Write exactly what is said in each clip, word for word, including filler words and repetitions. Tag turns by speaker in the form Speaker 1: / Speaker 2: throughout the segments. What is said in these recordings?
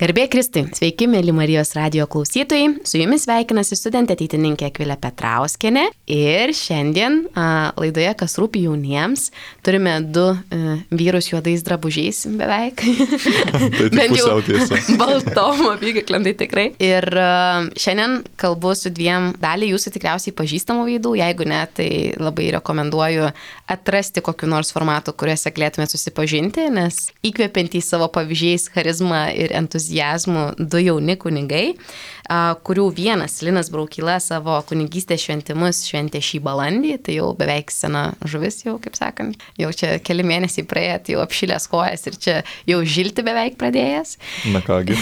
Speaker 1: Garbė Kristui, sveiki, mėly Marijos radijo klausytojai, su jumis sveikinasi studentė ateitininkė Akvilė Petrauskienė ir šiandien a, laidoje Kas rūpi jauniems turime du a, vyrus juodais drabužiais beveik.
Speaker 2: Tai tik pusiau tiesa.
Speaker 1: Baltom apykaklėm, tai tikrai. Ir a, šiandien kalbu su dviem dalį jūsų tikriausiai pažįstamų veidų, jeigu ne, tai labai rekomenduoju atrasti kokiu nors formatu, kuriuose galėtume susipažinti, nes įkvepiantys savo pavyzdžiais, charizma ir entuziazmą du jauni kunigai, kurių vienas, Linas Braukyla, savo kunigystės šventimus šventė šį balandį, tai jau beveik sena žuvis jau, kaip sakant, jau čia keli mėnesiai praėję, tai jau apšilęs kojas ir čia jau žilti beveik pradėjęs.
Speaker 2: Na kągi.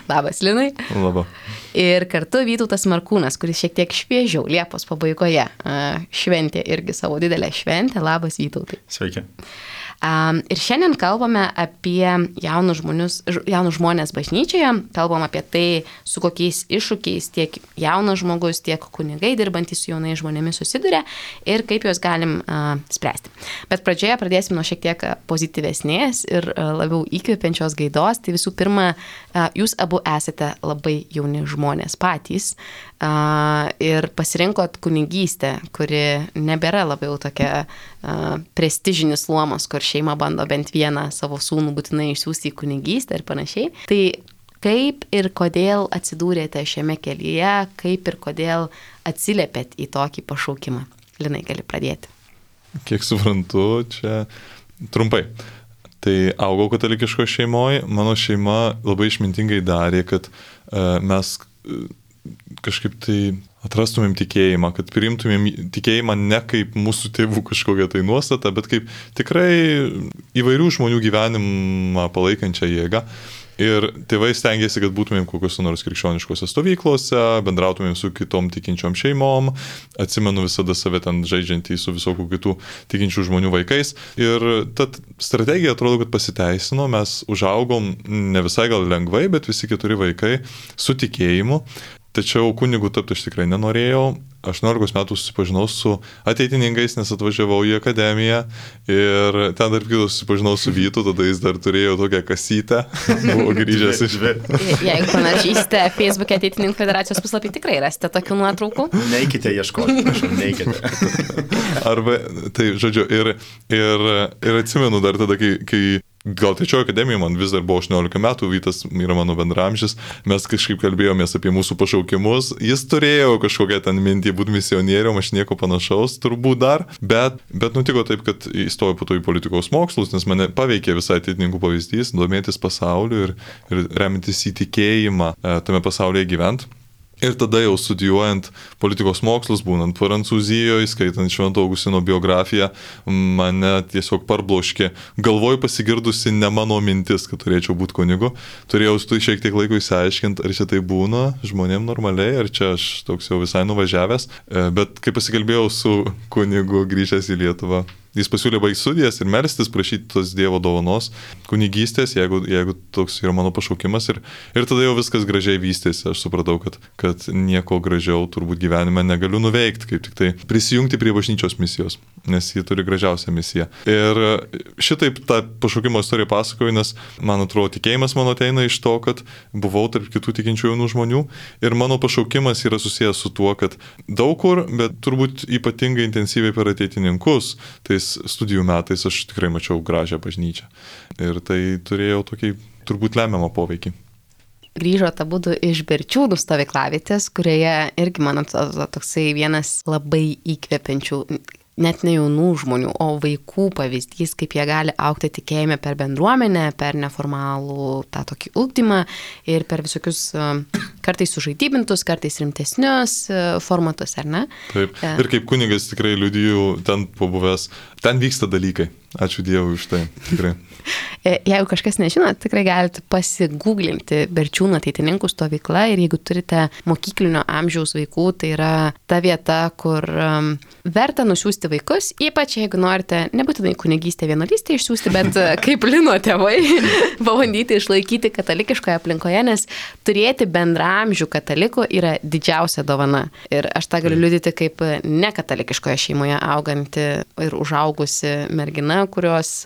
Speaker 1: Labas, Linai.
Speaker 2: Labas.
Speaker 1: Ir kartu Vytautas Markūnas, kuris šiek tiek šviežiau Liepos pabaigoje šventė irgi savo didelę šventę. Labas, Vytautai.
Speaker 3: Sveiki.
Speaker 1: Um, ir šiandien kalbame apie jaunus, žmonius, jaunus žmonės bažnyčioje, kalbam apie tai, su kokiais iššūkiais tiek jaunas žmogus, tiek kunigai dirbantys su jaunais žmonėmis susiduria ir kaip juos galim uh, spręsti. Bet pradžioje pradėsim nuo šiek tiek pozityvesnės ir uh, labiau įkvepiančios gaidos. Tai visų pirma, uh, jūs abu esate labai jauni žmonės patys uh, ir pasirinkot kunigystę, kuri nebėra labiau tokia uh, prestižinis luomas, kur šeima bando bent vieną savo sūnų būtinai išsiųsti į kunigystę ir panašiai. Tai kaip ir kodėl atsidūrėte šiame kelyje, kaip ir kodėl atsiliepėt į tokį pašaukimą? Linai, gali pradėti.
Speaker 2: Kiek suprantu, čia trumpai. Tai augau katalikiško šeimoje, mano šeima labai išmintingai darė, kad uh, mes uh, kažkaip tai atrastumėm tikėjimą, kad priimtumėm tikėjimą ne kaip mūsų tėvų kažkokią tai nuostatą, bet kaip tikrai įvairių žmonių gyvenimą palaikančią jėgą. Ir tėvai stengiasi, kad būtumėm kokios nors krikščioniškose stovyklose, bendrautumėm su kitom tikinčiom šeimom, atsimenu visada save ten žaidžiantį su visokių kitų tikinčių žmonių vaikais. Ir ta strategija atrodo, kad pasiteisino, mes užaugom ne visai gal lengvai, bet visi keturi vaikai su tikėjimu. Tačiau kunigų tapti aš tikrai nenorėjau. aštuoniolikos metų susipažinau su ateitininkais, nes atvažiavau į akademiją ir ten dar kitos susipažinau su Vytu, tada jis dar turėjo tokią kasytę, buvo grįžęs iš...
Speaker 1: Jeigu panašysite Facebook'e Ateitininkų federacijos puslapį, tikrai rasite tokių nuotraukų.
Speaker 3: Neikite ieškoti, prašau, neikite.
Speaker 2: Arba, tai žodžiu, ir, ir, ir atsimenu dar tada, kai... kai gal trečiojo akademija, man vis dar buvo aštuoniolika metų, Vytas yra mano bendramžis, mes kažkaip kalbėjomės apie mūsų pašaukimus, jis turėjo kažkokią ten mintį būti misionierium, aš nieko panašaus turbūt dar, bet, bet nutiko taip, kad įstojau po to į politikos mokslus, nes mane paveikė visai ateitininkų pavyzdys, domėtis pasauliu ir, ir remintis įtikėjimą tame pasaulyje gyvent. Ir tada jau studijuojant politikos mokslus, būnant Prancūzijoje, skaitant Švento Augustino biografiją, mane tiesiog parbloškė. Galvoj pasigirdusi ne mano mintis, kad turėčiau būti kunigu. Turėjau tu šiek tiek laiko įsiaiškinti, ar čia tai būna žmonėm normaliai, ar čia aš toks jau visai nuvažiavęs. Bet kai pasikalbėjau su kunigu grįžęs į Lietuvą, jis pasiūlė baigti studijas ir melstis, prašyti tos Dievo dovanos, kunigystės, jeigu, jeigu toks yra mano pašaukimas. Ir, ir tada jau viskas gražiai vystėsi. Aš supratau, kad, kad nieko gražiau turbūt gyvenime negaliu nuveikti, kaip tik tai prisijungti prie bažnyčios misijos, nes ji turi gražiausią misiją. Ir šitaip tą pašaukimo istoriją pasakoju, nes man atrodo tikėjimas mano ateina iš to, kad buvau tarp kitų tikinčių jaunų žmonių ir mano pašaukimas yra susijęs su tuo, kad daug kur, bet turbūt ypatingai intensyviai per ateitininkus, tai studijų metais aš tikrai mačiau gražią bažnyčią. Ir tai turėjo tokį turbūt lemiamą poveikį.
Speaker 1: Grįžote abudu iš Berčiūnų stovyklavietės, kurioje irgi, man atrodo, toksai vienas labai įkvepiančių, net ne jaunų žmonių, o vaikų pavyzdys, kaip jie gali augti tikėjime per bendruomenę, per neformalų tą tokį ugdymą ir per visokius kartais sužaidybintus, kartais rimtesnius formatus, ar ne?
Speaker 2: Taip. Ir kaip kunigas tikrai liudiju ten pabuvęs, ten vyksta dalykai. Ačiū Dievui už tai, tikrai.
Speaker 1: Jeigu kažkas nežinot, tikrai galite pasigūglinti Berčiūnų ateitininkų stovykla ir jeigu turite mokyklinio amžiaus vaikų, tai yra ta vieta, kur um, verta nusiųsti vaikus, ypač jeigu norite nebūtinai kunigystę vienuolystę išsiųsti, bet kaip Lino tėvai, pabandyti išlaikyti katalikiškoje aplinkoje, nes turėti bendra bendraamžių katalikų yra didžiausia dovana. Ir aš tą galiu liudyti kaip nekatalikiškoje šeimoje auganti ir užaugusi mergina, kurios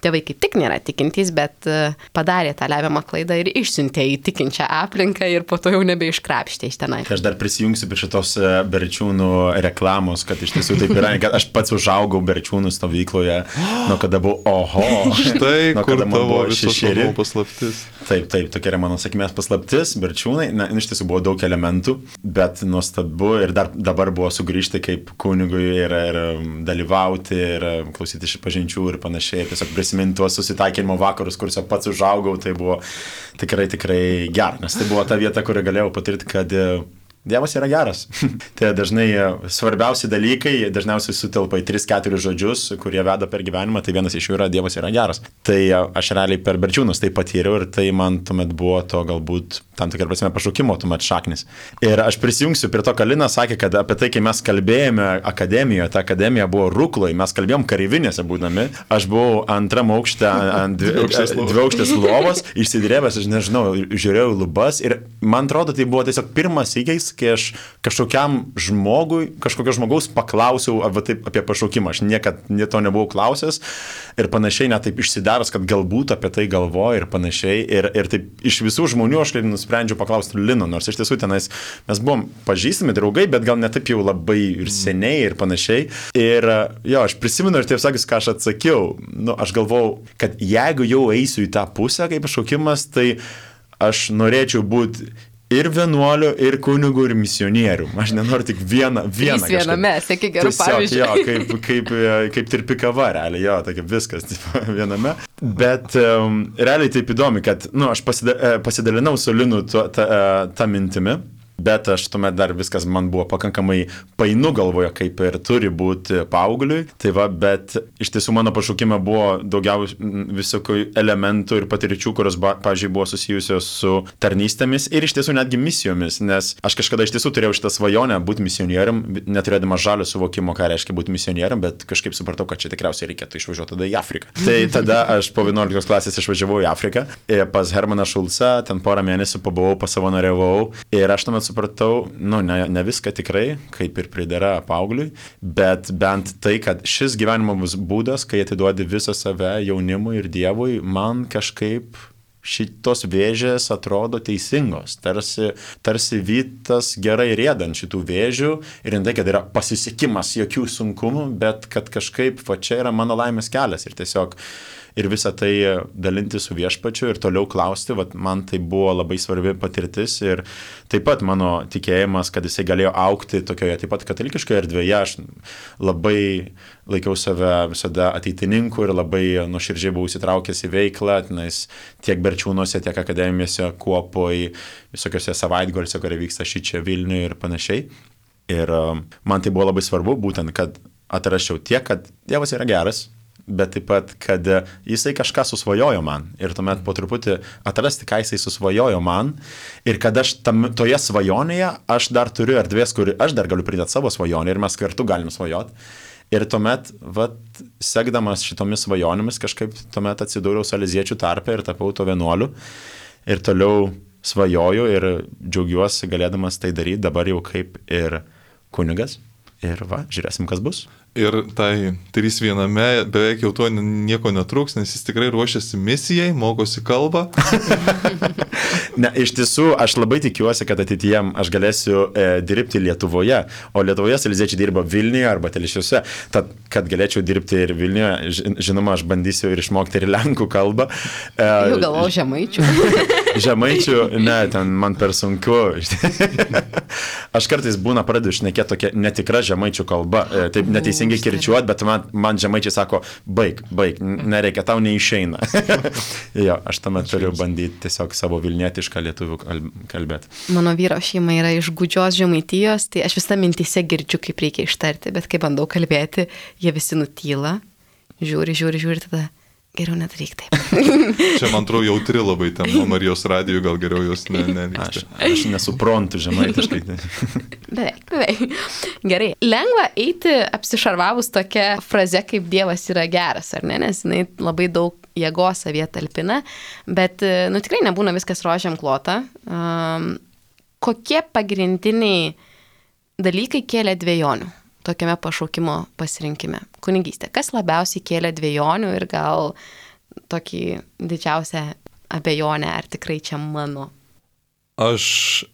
Speaker 1: tėvai kaip tik nėra tikintys, bet padarė tą lemiamą klaidą ir išsiuntė į tikinčią aplinką ir po to jau nebeiškrapštė iš tenai.
Speaker 3: Aš dar prisijungsiu prie šitos Berčiūnų reklamos, kad iš tiesų taip yra, kad aš pats užaugau Berčiūnų stovykloje, nuo kada buvau, oho,
Speaker 2: štai
Speaker 3: nuo
Speaker 2: kur
Speaker 3: kada man
Speaker 2: tavo
Speaker 3: buvo
Speaker 2: visos
Speaker 3: šešeri.
Speaker 2: namų paslaptis.
Speaker 3: Taip, taip, tokia yra mano sakmės paslaptis, Berčiūnai, na, iš tiesų buvo daug elementų, bet nuostabu ir dar dabar buvo sugrįžti kaip kunigui ir, ir dalyvauti ir klausyti iš pažinčių ir panašiai, tiesiog prisiminti tuos susitaikinimo vakarus, kuriuose pats užaugau, tai buvo tikrai, tikrai gera, nes tai buvo ta vieta, kurį galėjau patirti, kad Dievas yra geras. Tai dažnai svarbiausi dalykai, dažniausiai sutelpa į tris keturis žodžius, kurie veda per gyvenimą, tai vienas iš jų yra Dievas yra geras. Tai aš realiai per Berčiūnus tai patyriau ir tai man tuomet buvo to galbūt tam tikrą prasme pašaukimo tuomet šaknis. Ir aš prisijungsiu prie to, ką Lina sakė, kad apie tai, kai mes kalbėjome akademijoje, ta akademija buvo Rukloje, mes kalbėjom kareivinėse būdami, aš buvau antram aukšte ant dviaukštės lovos, išsidrėbęs, aš nežinau, žiūrėjau lubas ir man atrodo, tai buvo tiesiog pirmas įgeis, kai aš kažkokiam žmogui, kažkokio žmogaus paklausiau apie, taip, apie pašaukimą. Aš niekad to nebuvau klausęs ir panašiai, net taip išsidaras, kad galbūt apie tai galvoju ir panašiai. Ir, ir taip iš visų žmonių aš nusprendžiau paklausti Lino, nors iš tiesų tenais mes buvom pažįstami draugai, bet gal ne taip jau labai ir seniai ir panašiai. Ir jo, aš prisimenu ir taip sakys, ką aš atsakiau. Nu, aš galvojau, kad jeigu jau eisiu į tą pusę kaip pašaukimas, tai aš norėčiau būti ir vienuoliu, ir kunigu, ir misionieriu. Aš nenoriu tik vieną, vieną.
Speaker 1: Trys viename, sėki gerų pavyzdžių.
Speaker 3: Jo, kaip, kaip, kaip tirpi kava, realiai, jo, tokia viskas tipo, viename. Bet um, realiai taip įdomi, kad, nu, aš pasida, pasidalinau su Linu tą ta, ta mintimi. Bet aš tuomet dar viskas man buvo pakankamai painu galvoje, kaip ir turi būti paaugliui. Tai va, bet iš tiesų mano pašaukime buvo daugiau visokių elementų ir patirčių, kurios, pavyzdžiui, buvo susijusios su tarnystėmis ir iš tiesų netgi misijomis, nes aš kažkada iš tiesų turėjau šitą svajonę būti misionierium, neturėdama žalio suvokimo, ką reiškia būti misionierium, bet kažkaip supratau, kad čia tikriausiai reikėtų išvažiuoti tada į Afriką. Tai tada aš po vienuoliktos klasės išvažiavau į Afriką pas Hermaną Šulcą, ten porą mėnesių pabuvau, pasavanoriavau ir aš tuomet supratau, nu, ne, ne viską tikrai, kaip ir pridera paaugliui, bet bent tai, kad šis gyvenimo būdas, kai atiduodi visą save jaunimui ir Dievui, man kažkaip šitos vėžės atrodo teisingos, tarsi, tarsi vytas gerai riedant šitų vėžių ir ne tai, kad yra pasisekimas jokių sunkumų, bet kad kažkaip, va čia yra mano laimės kelias ir tiesiog ir visą tai dalinti su viešpačiu ir toliau klausti, vat, man tai buvo labai svarbi patirtis ir taip pat mano tikėjimas, kad jisai galėjo aukti tokioje taip pat katalikiškoje erdvėje, aš labai laikiau save visada ateitininku ir labai nuoširdžiai buvau įsitraukęs į veiklą, tenais tiek Berčiūnuose, tiek akademijose, Kuopoj, visokiose savaitgaliuose, kurie vyksta šičia Vilniuje ir panašiai. Ir man tai buvo labai svarbu, būtent, kad atrasčiau tiek, kad Dievas yra geras, bet taip pat, kad jisai kažką susvajojo man ir tuomet po truputį atrasti, ką jisai susvajojo man ir kad aš tam, toje svajonėje aš dar turiu erdvės, kur aš dar galiu pridėti savo svajonę ir mes kartu galim svajoti. Ir tuomet, vat, sekdamas šitomis svajonėmis, kažkaip tuomet atsidūriau saleziečių tarpe ir tapau to vienuoliu ir toliau svajoju ir džiaugiuosi galėdamas tai daryti dabar jau kaip ir kunigas. Ir va, žiūrėsim, kas bus.
Speaker 2: Ir tai trys viename beveik jau to nieko netruks, nes jis tikrai ruošiasi misijai, mokosi kalbą.
Speaker 3: Ne, iš tiesų, aš labai tikiuosi, kad ateityje aš galėsiu e, dirbti Lietuvoje, o Lietuvoje saleziečiai dirba Vilniuje arba Telšiuose. Tad, kad galėčiau dirbti ir Vilniuje, žinoma, aš bandysiu ir išmokti ir lenkų kalbą.
Speaker 1: E, jau galvau žemaičių.
Speaker 3: Žemaičių, ne, ten man per sunku. Aš kartais būna pradedu šnekėti tokia netikra žemaičių kalba. Taip neteisingai kirčiuot, bet man, man žemaičiai sako, baig, baig, nereikia, tau neišeina. Jo, aš tuomet turiu bandyti tiesiog savo vilnietišką lietuvių kalbėti.
Speaker 1: Mano vyro šeima yra iš gūdžios Žemaitijos, tai aš visą mintyse girdžiu, kaip reikia ištarti, bet kai bandau kalbėti, jie visi nutyla, žiūri, žiūri, žiūri, tada geriau nedaryk taip.
Speaker 2: Čia, man atrodo, jautri labai tema Marijos radijų, gal geriau jos ne, nevyksta.
Speaker 3: Aš, aš nesuprantu žemaitiškai.
Speaker 1: Beveik, beveik. Gerai. Lengva eiti apsišarvavus tokia fraze, kaip Dievas yra geras, ar ne? Nes jinai labai daug jėgos savyje talpina, bet, nu, tikrai nebūna viskas rožiam klota. Um, kokie pagrindiniai dalykai kėlė dvejonių tokiame pašaukimo pasirinkime? Kunigystė. Kas labiausiai kėlė dvejonių ir gal tokį didžiausią abejonę, ar tikrai čia mano?
Speaker 2: Aš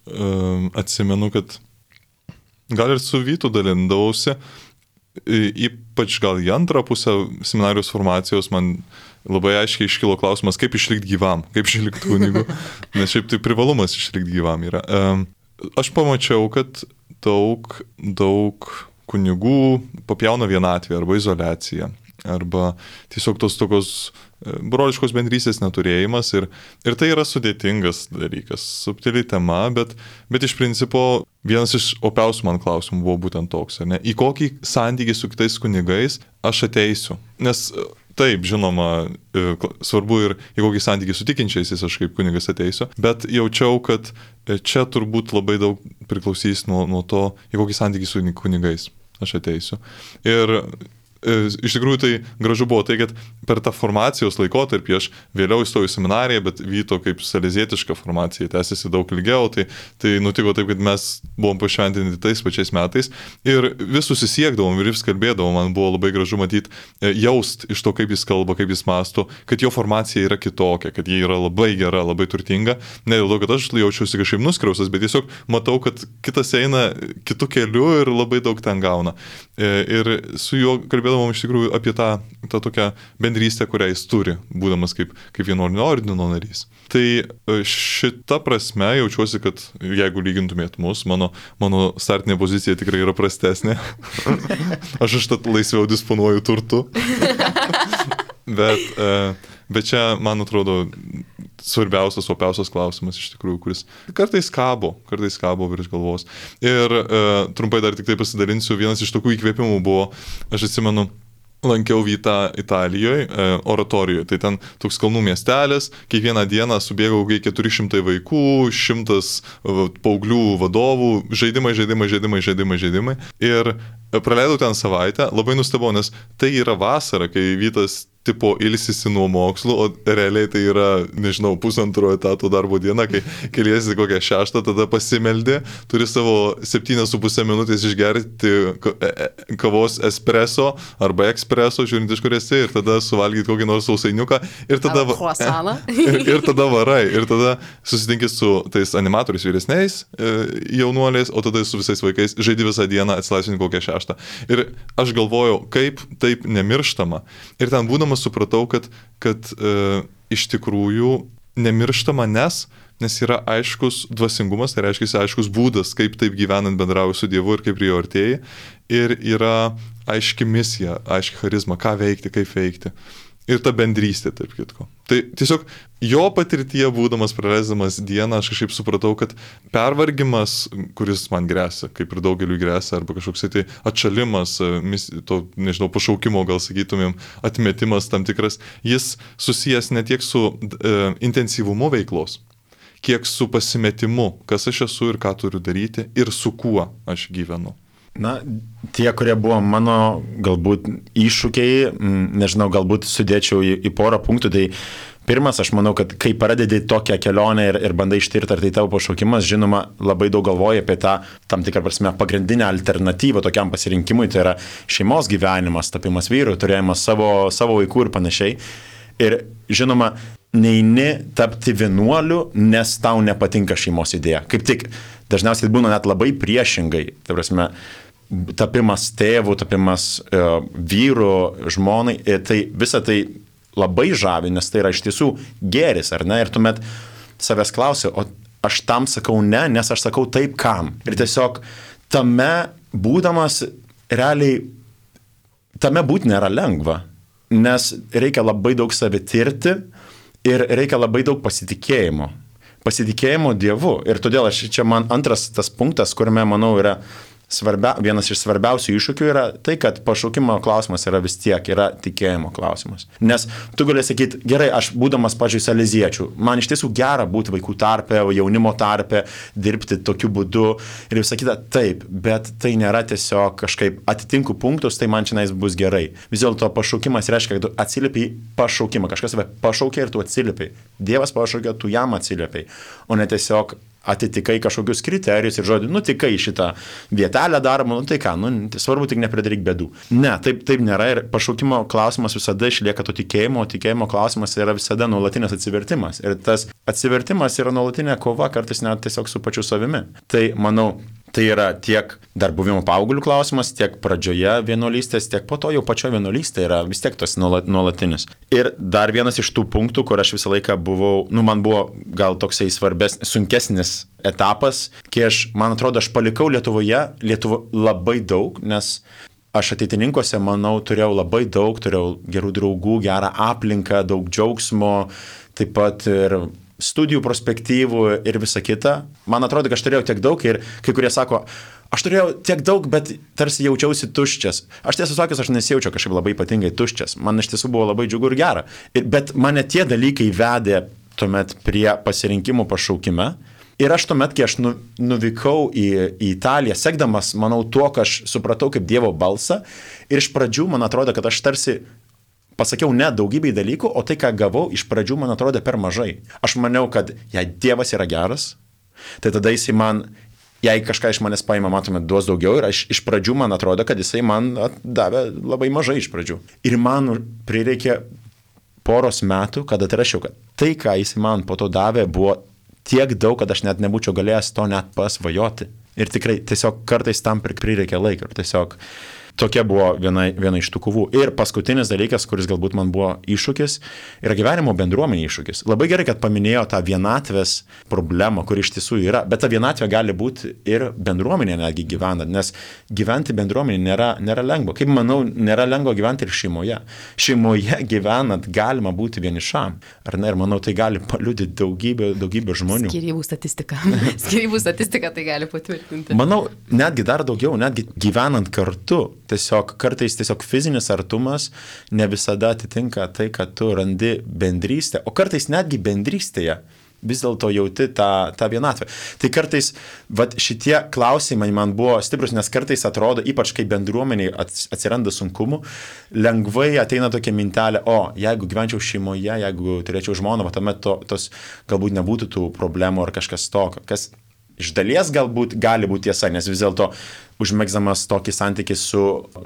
Speaker 2: um, atsimenu, kad gal ir su Vytu dalindavausi, ypač gal į antrą pusę seminarijos formacijos man labai aiškiai iškilo klausimas, kaip išlikti gyvam, kaip išlikti kunigu, nes šiaip tai privalumas išlikti gyvam yra. Um, aš pamačiau, kad daug, daug kunigų papjauna vienatvę arba izoliaciją, arba tiesiog tos tokios broliškos bendrystės neturėjimas ir, ir tai yra sudėtingas dalykas, subtili tema, bet, bet iš principo vienas iš opiausių man klausimų buvo būtent toks, ar ne? Į kokį santykį su kitais kunigais aš ateisiu? Nes taip, žinoma, svarbu ir į kokį santykį su tikinčiaisiais aš kaip kunigas ateisiu, bet jaučiau, kad čia turbūt labai daug priklausys nuo, nuo to, į kokį santykį su kunigais aš ateisiu. Ir iš tikrųjų tai gražu buvo tai, kad per tą formacijos laikotarpį aš vėliau įstojau į seminariją, bet Vyto kaip salezietiška formacija tęsiasi daug ilgiau, tai, tai nutiko taip, kad mes buvom pašventinti tais pačiais metais ir vis susisiekdavom ir vis kalbėdavom, man buvo labai gražu matyti, jaust iš to, kaip jis kalba, kaip jis mąsto, kad jo formacija yra kitokia, kad ji yra labai gera, labai turtinga, ne dėl to, kad aš jaučiausi kažkaip nuskriaustas, bet tiesiog matau, kad kitas eina kitų kelių ir labai daug ten gauna. Ir su juo kalbėdavom iš tikrųjų apie tą, tą tokią bendrystę, kurią jis turi, būdamas kaip, kaip vienuolinio ordino narys. Tai šita prasme jaučiuosi, kad jeigu lygintumėt mus, mano, mano startinė pozicija tikrai yra prastesnė. Aš užtat laisviau disponuoju turtu. bet, bet čia, man atrodo, svarbiausias, opiausias klausimas iš tikrųjų, kuris kartais kabo, kartais kabo virš galvos. Ir e, trumpai dar tik tai pasidalinsiu, vienas iš tokių įkvėpimų buvo, aš atsimenu, lankiau Vytą Italijoje, e, oratorijoje, tai ten toks kalnų miestelis, kiekvieną dieną subėgau keturi šimtai vaikų, šimtas paauglių vadovų, žaidimai, žaidimai, žaidimai, žaidimai, žaidimai. Ir praleidau ten savaitę, labai nustebau, nes tai yra vasara, kai Vytas tipo ilsisi nuo mokslų, o realiai tai yra, nežinau, pusantro etato darbo diena, kai keliesi kokią šeštą, tada pasimeldi, turi savo septynias su pusę minutės išgerti kavos espresso arba ekspreso, žiūrint iš kur esi, ir tada suvalgyti kokį nors sausainiuką, ir tada, ir, ir tada varai, ir tada susitinki su tais animatoriais vyresniais jaunuoliais, o tada su visais vaikais žaidi visą dieną, atsilaisvini kokią šeštą. Ir aš galvojau, kaip taip nemirštama. Ir ten būdamas supratau, kad, kad e, iš tikrųjų nemirštama, nes, nes yra aiškus dvasingumas, tai reiškia aiškus būdas, kaip taip gyvenant bendrauji su Dievu ir kaip prie jo artėji. Ir yra aiški misija, aiški charizma, ką veikti, kaip veikti. Ir ta bendrystė, taip kitko. Tai tiesiog jo patirtyje būdamas, praleisdamas dieną, aš kažkaip supratau, kad pervargimas, kuris man grėsia, kaip ir daugeliu grėsia, arba kažkoks tai atšalimas, to, nežinau, pašaukimo, gal sakytumėm, atmetimas tam tikras, jis susijęs ne tiek su e, intensyvumu veiklos, kiek su pasimetimu, kas aš esu ir ką turiu daryti ir su kuo aš gyvenu.
Speaker 3: Na, tie, kurie buvo mano galbūt iššūkiai, nežinau, galbūt sudėčiau į, į porą punktų, tai pirmas, aš manau, kad kai pradedi tokią kelionę ir, ir bandai ištirti, ar tai tavo pašaukimas, žinoma, labai daug galvoji apie tą, tam tikrą prasme, pagrindinę alternatyvą tokiam pasirinkimui, tai yra šeimos gyvenimas, tapimas vyru, turėjimas savo, savo vaikų ir panašiai. Ir žinoma, neini tapti vienuoliu, nes tau nepatinka šeimos idėja. Kaip tik, dažniausiai būna net labai priešingai, tai prasme, tapimas tėvų, tapimas uh, vyrų, žmonai, tai visa tai labai žavi, nes tai yra iš tiesų gėris, ar ne? Ir tuomet savęs klausi, o aš tam sakau ne, nes aš sakau taip kam. Ir tiesiog tame būdamas realiai, tame būti nėra lengva, nes reikia labai daug savitirti ir reikia labai daug pasitikėjimo. Pasitikėjimo Dievu. Ir todėl aš, čia man antras tas punktas, kuriame, manau, yra svarbia, vienas iš svarbiausių iššūkių yra tai, kad pašaukimo klausimas yra vis tiek, yra tikėjimo klausimas. Nes tu gali sakyti, gerai, aš būdamas, pavyzdžiui, saleziečių, man iš tiesų gera būti vaikų tarpe, jaunimo tarpe, dirbti tokiu būdu ir visą kitą, taip, bet tai nėra tiesiog kažkaip atitinku punktus, tai man šiandien bus gerai. Vis dėlto pašaukimas reiškia, kad tu atsiliepi pašaukimą, kažkas tave pašaukia ir tu atsiliepi. Dievas pašaukia, tu jam atsiliepi, o ne tiesiog atitikai kažkokius kriterijus ir žodį, nu tikai šitą vietelę daromą, nu tai ką, nu tai svarbu tik nepridaryk bėdų. Ne, taip, taip nėra ir pašaukimo klausimas visada išlieka to tikėjimo, o tikėjimo klausimas yra visada nuolatinis atsivertimas. Ir tas atsivertimas yra nuolatinė kova, kartais net tiesiog su pačiu savimi. Tai manau, tai yra tiek dar buvimo paauglių klausimas, tiek pradžioje vienuolystės, tiek po to jau pačio vienuolystė yra vis tiek tas nuolatinis. Ir dar vienas iš tų punktų, kur aš visą laiką buvau, nu man buvo gal toksai svarbesnis, sunkesnis etapas, kai aš, man atrodo, aš palikau Lietuvoje, Lietuvo labai daug, nes aš ateitininkuose, manau, turėjau labai daug, turėjau gerų draugų, gerą aplinką, daug džiaugsmo, taip pat ir studijų perspektyvų ir visa kita. Man atrodo, kad aš turėjau tiek daug ir kai kurie sako, aš turėjau tiek daug, bet tarsi jaučiausi tuščias. Aš tiesą sakęs, aš nesijaučiau kažkaip labai ypatingai tuščias. Man iš tiesų buvo labai džiugu ir gera. Ir, bet mane tie dalykai vedė tuomet prie pasirinkimų pašaukime. Ir aš tuomet, kai aš nu, nuvykau į, į Italiją, sekdamas, manau, tuo, ką aš supratau kaip Dievo balsą. Ir iš pradžių man atrodo, kad aš tarsi pasakiau ne daugybei dalykų, o tai, ką gavau, iš pradžių man atrodė per mažai. Aš maniau, kad jei Dievas yra geras, tai tada jisai man, jei kažką iš manęs paima, matome, duos daugiau ir aš, iš pradžių man atrodo, kad jisai man davė labai mažai iš pradžių. Ir man prireikė poros metų, kad atrašiau, kad tai, ką jisai man po to davė, buvo tiek daug, kad aš net nebūčiau galėjęs to net pasvajoti. Ir tikrai tiesiog kartais tam prireikė laiko. Ir tiesiog tokia buvo viena, viena iš tų kovų. Ir paskutinis dalykas, kuris galbūt man buvo iššūkis, yra gyvenimo bendruomenė iššūkis. Labai gerai, kad paminėjo tą vienatvės problemą, kuri iš tiesų yra, bet ta vienatvė gali būti ir bendruomenė netgi gyvenant, nes gyventi bendruomenė nėra, nėra lengva. Kaip manau, nėra lengva gyventi ir šeimoje. Šeimoje gyvenant galima būti vienišam. Ar ne? Ir manau, tai gali paliudyti daugybė, daugybė žmonių.
Speaker 1: Skyrybų statistika. Skyrybų statistika tai gali patvirtinti.
Speaker 3: Manau, netgi dar daugiau, netgi gyvenant kartu. Tiesiog kartais tiesiog fizinis artumas ne visada atitinka tai, kad tu randi bendrystę, o kartais netgi bendrystėje vis dėlto jauti tą, tą vienatvę. Tai kartais vat, šitie klausimai man buvo stiprus, nes kartais atrodo, ypač kai bendruomeniai atsiranda sunkumų, lengvai ateina tokia mintelė, o jeigu gyvenčiau šeimoje, jeigu turėčiau žmoną, va, tuomet to, tos galbūt nebūtų tų problemų ar kažkas tokio, kas iš dalies galbūt gali būti tiesa, nes vis dėlto užmegzamas tokį santykį su,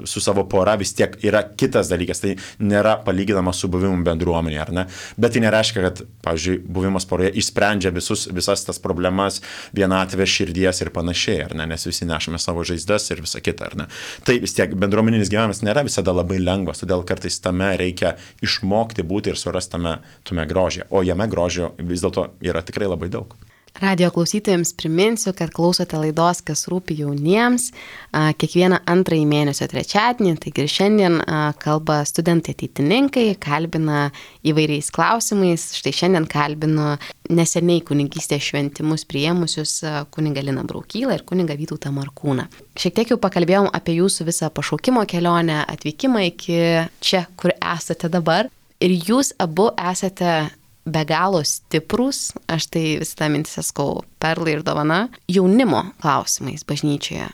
Speaker 3: su savo pora vis tiek yra kitas dalykas, tai nėra palyginama su buvimu bendruomenė, ar ne? Bet tai nereiškia, kad, pavyzdžiui, buvimas poroje išsprendžia visus, visas tas problemas, vienatvę širdies ir panašiai, ar ne? Nes visi nešame savo žaizdas ir visa kita, ar ne? Tai vis tiek bendruomeninis gyvenimas nėra visada labai lengvas, todėl kartais tame reikia išmokti būti ir surasti tame, tame grožį, o jame grožio vis dėlto yra tikrai labai daug.
Speaker 1: Radio klausytojams priminsiu, kad klausote laidos Kas rūpi jauniems kiekvieną antrąjį mėnesio trečiadienį, taigi ir šiandien kalba studentai ateitininkai, kalbina įvairiais klausimais. Štai šiandien kalbinu neseniai kunigystės šventimus priėmusius kunigą Liną Braukylą ir kunigą Vytautą Markūną. Šiek tiek jau pakalbėjom apie jūsų visą pašaukimo kelionę, atvykimą iki čia, kur esate dabar. Ir jūs abu esate be galo stiprus, aš tai visą tą mintį sakau, perlai ir dovana, jaunimo klausimais bažnyčioje.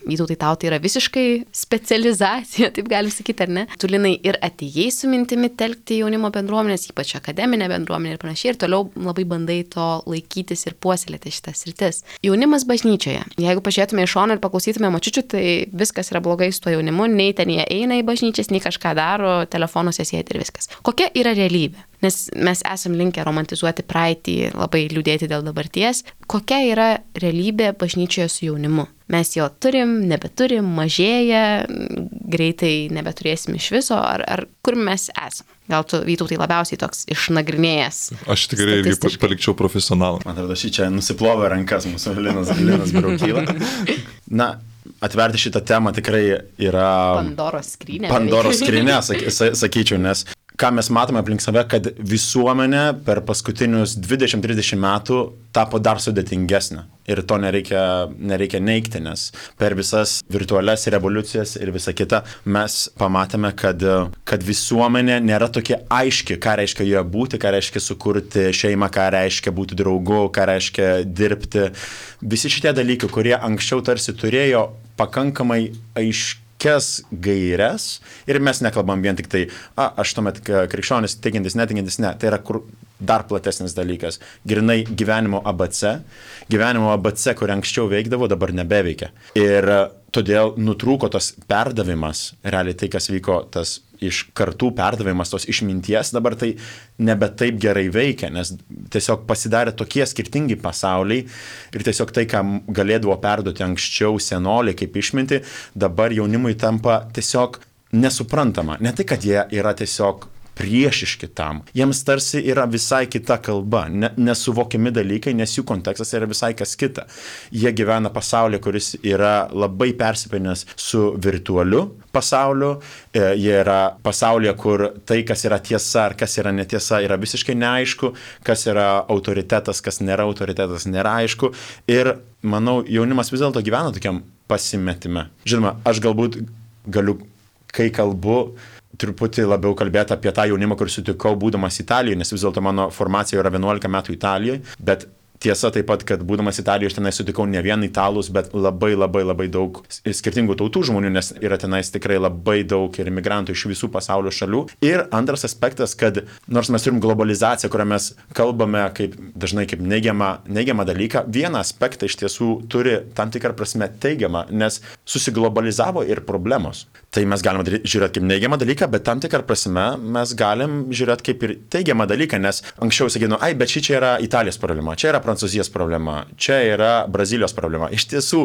Speaker 1: Vytautai, tau tai yra visiškai specializacija, taip galim sakyti, ar ne? Tu, Linai, ir atėjai su mintimi telkti jaunimo bendruomenės, ypač akademinę bendruomenę ir panašiai, ir toliau labai bandai to laikytis ir puoselėti šitas sritis. Jaunimas bažnyčioje. Jeigu pažiūrėtume iš šono ir paklausytume močiučių, tai viskas yra blogai su tuo jaunimu, nei ten jie eina į bažnyčias, nei kažką daro, telefonuose sėdi ir viskas. Kokia yra realybė? Nes mes esam linkę romantizuoti praeitį, labai liūdėti dėl dabarties. Kokia yra realybė bažnyčioje su jaunimu? Mes jo turim, nebeturim, mažėja, greitai nebeturėsim iš viso, ar, ar kur mes esam? Gal tu, Vytautai, labiausiai toks išnagrinėjęs?
Speaker 2: Aš tikrai irgi palikčiau profesionalą.
Speaker 3: Man atrodo, šį čia nusiplovė rankas mūsų Linas, Linas Braukyla. Na, atverti šitą temą tikrai yra
Speaker 1: Pandoros skrynia.
Speaker 3: Pandoros skrynia, sakyčiau, nes ką mes matome aplink save, kad visuomenė per paskutinius dvidešimt trisdešimt metų tapo dar sudėtingesnė. Ir to nereikia, nereikia neigti, nes per visas virtualias revoliucijas ir visa kita mes pamatėme, kad, kad visuomenė nėra tokia aiški, ką reiškia joje būti, ką reiškia sukurti šeimą, ką reiškia būti draugu, ką reiškia dirbti. Visi šitie dalykai, kurie anksčiau tarsi turėjo pakankamai aiškiai gairias ir mes nekalbam vien tik tai, a, aš tuomet krikščionis, tikintis, netikintis, ne, tai yra kur dar platesnis dalykas. Grinai gyvenimo A B C. Gyvenimo A B C, kur anksčiau veikdavo, dabar nebeveikia. Ir todėl nutrūko tas perdavimas, realiai tai, kas vyko, tas iš kartų perdavimas, tos išminties, dabar tai nebe taip gerai veikia, nes tiesiog pasidarė tokie skirtingi pasauliai ir tiesiog tai, ką galėdavo perduoti anksčiau senoliai kaip išminti, dabar jaunimui tampa tiesiog nesuprantama. Ne tai, kad jie yra tiesiog priešiški tam. Jiems tarsi yra visai kita kalba, ne, nesuvokiami dalykai, nes jų kontekstas yra visai kas kita. Jie gyvena pasaulyje, kuris yra labai persipinęs su virtualiu pasauliu, e, jie yra pasaulyje, kur tai, kas yra tiesa ar kas yra netiesa, yra visiškai neaišku, kas yra autoritetas, kas nėra autoritetas, nėra aišku. Ir manau, jaunimas vis dėlto gyvena tokiam pasimetime. Žinoma, aš galbūt galiu, kai kalbu, truputį labiau kalbėti apie tą jaunimą, kur sutikau būdamas Italijoje, nes vis dėlto mano formacija yra vienuolika metų Italijoje, bet tiesa taip pat, kad būdamas Italijoje aš tenai sutikau ne vien italus, bet labai labai labai daug skirtingų tautų žmonių, nes yra tenais tikrai labai daug ir imigrantų iš visų pasaulio šalių. Ir antras aspektas, kad nors mes turim globalizaciją, kurią mes kalbame kaip, dažnai kaip neigiamą, neigiamą dalyką, vieną aspektą iš tiesų turi tam tikrą prasme teigiamą, nes susiglobalizavo ir problemos. Tai mes galime žiūrėti kaip neigiamą dalyką, bet tam tikrą prasme mes galim žiūrėti kaip ir teigiamą dalyką, nes anksčiau sakydavo, ai, bet ši čia yra Italijos problema, čia yra Prancūzijos problema, čia yra Brazilijos problema. Iš tiesų,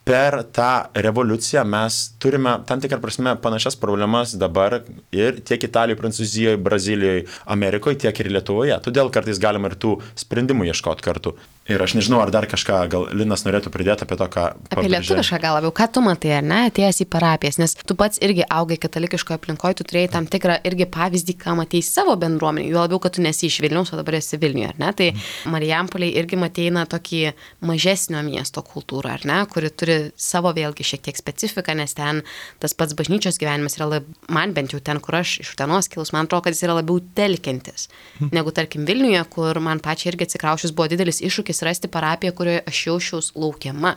Speaker 3: per tą revoliuciją mes turime tam tikrą prasme panašias problemas dabar ir tiek Italijoje, Prancūzijoje, Brazilijoje, Amerikoje, tiek ir Lietuvoje. Todėl kartais galima ir tų sprendimų ieškoti kartu. Ir aš nežinau, ar dar kažką, gal Linas norėtų pridėti apie to, ką...
Speaker 1: Apie lietuvišką gal labiau, ką tu matai, ar ne, atėjęs į parapijas, nes tu pats irgi augai katalikiškoje aplinkoje, tu turėjai tam tikrą irgi pavyzdį, ką matei savo bendruomenį, jo labiau, kad tu nesi iš Vilniaus, o dabar esi Vilniuje, ar ne, tai Marijampoliai irgi matei na tokį mažesnio miesto kultūrą, ar ne, kuri turi savo vėlgi šiek tiek specifiką, nes ten tas pats bažnyčios gyvenimas yra, lab, man bent jau ten, kur aš iš Utenos kilus, man atrodo, kad jis yra labiau telkiantis, negu tarkim Vilniuje, kur man pačiai irgi atsikraušus buvo didelis iššūkis rasti parapiją, kurioje aš jaučiaus laukiama,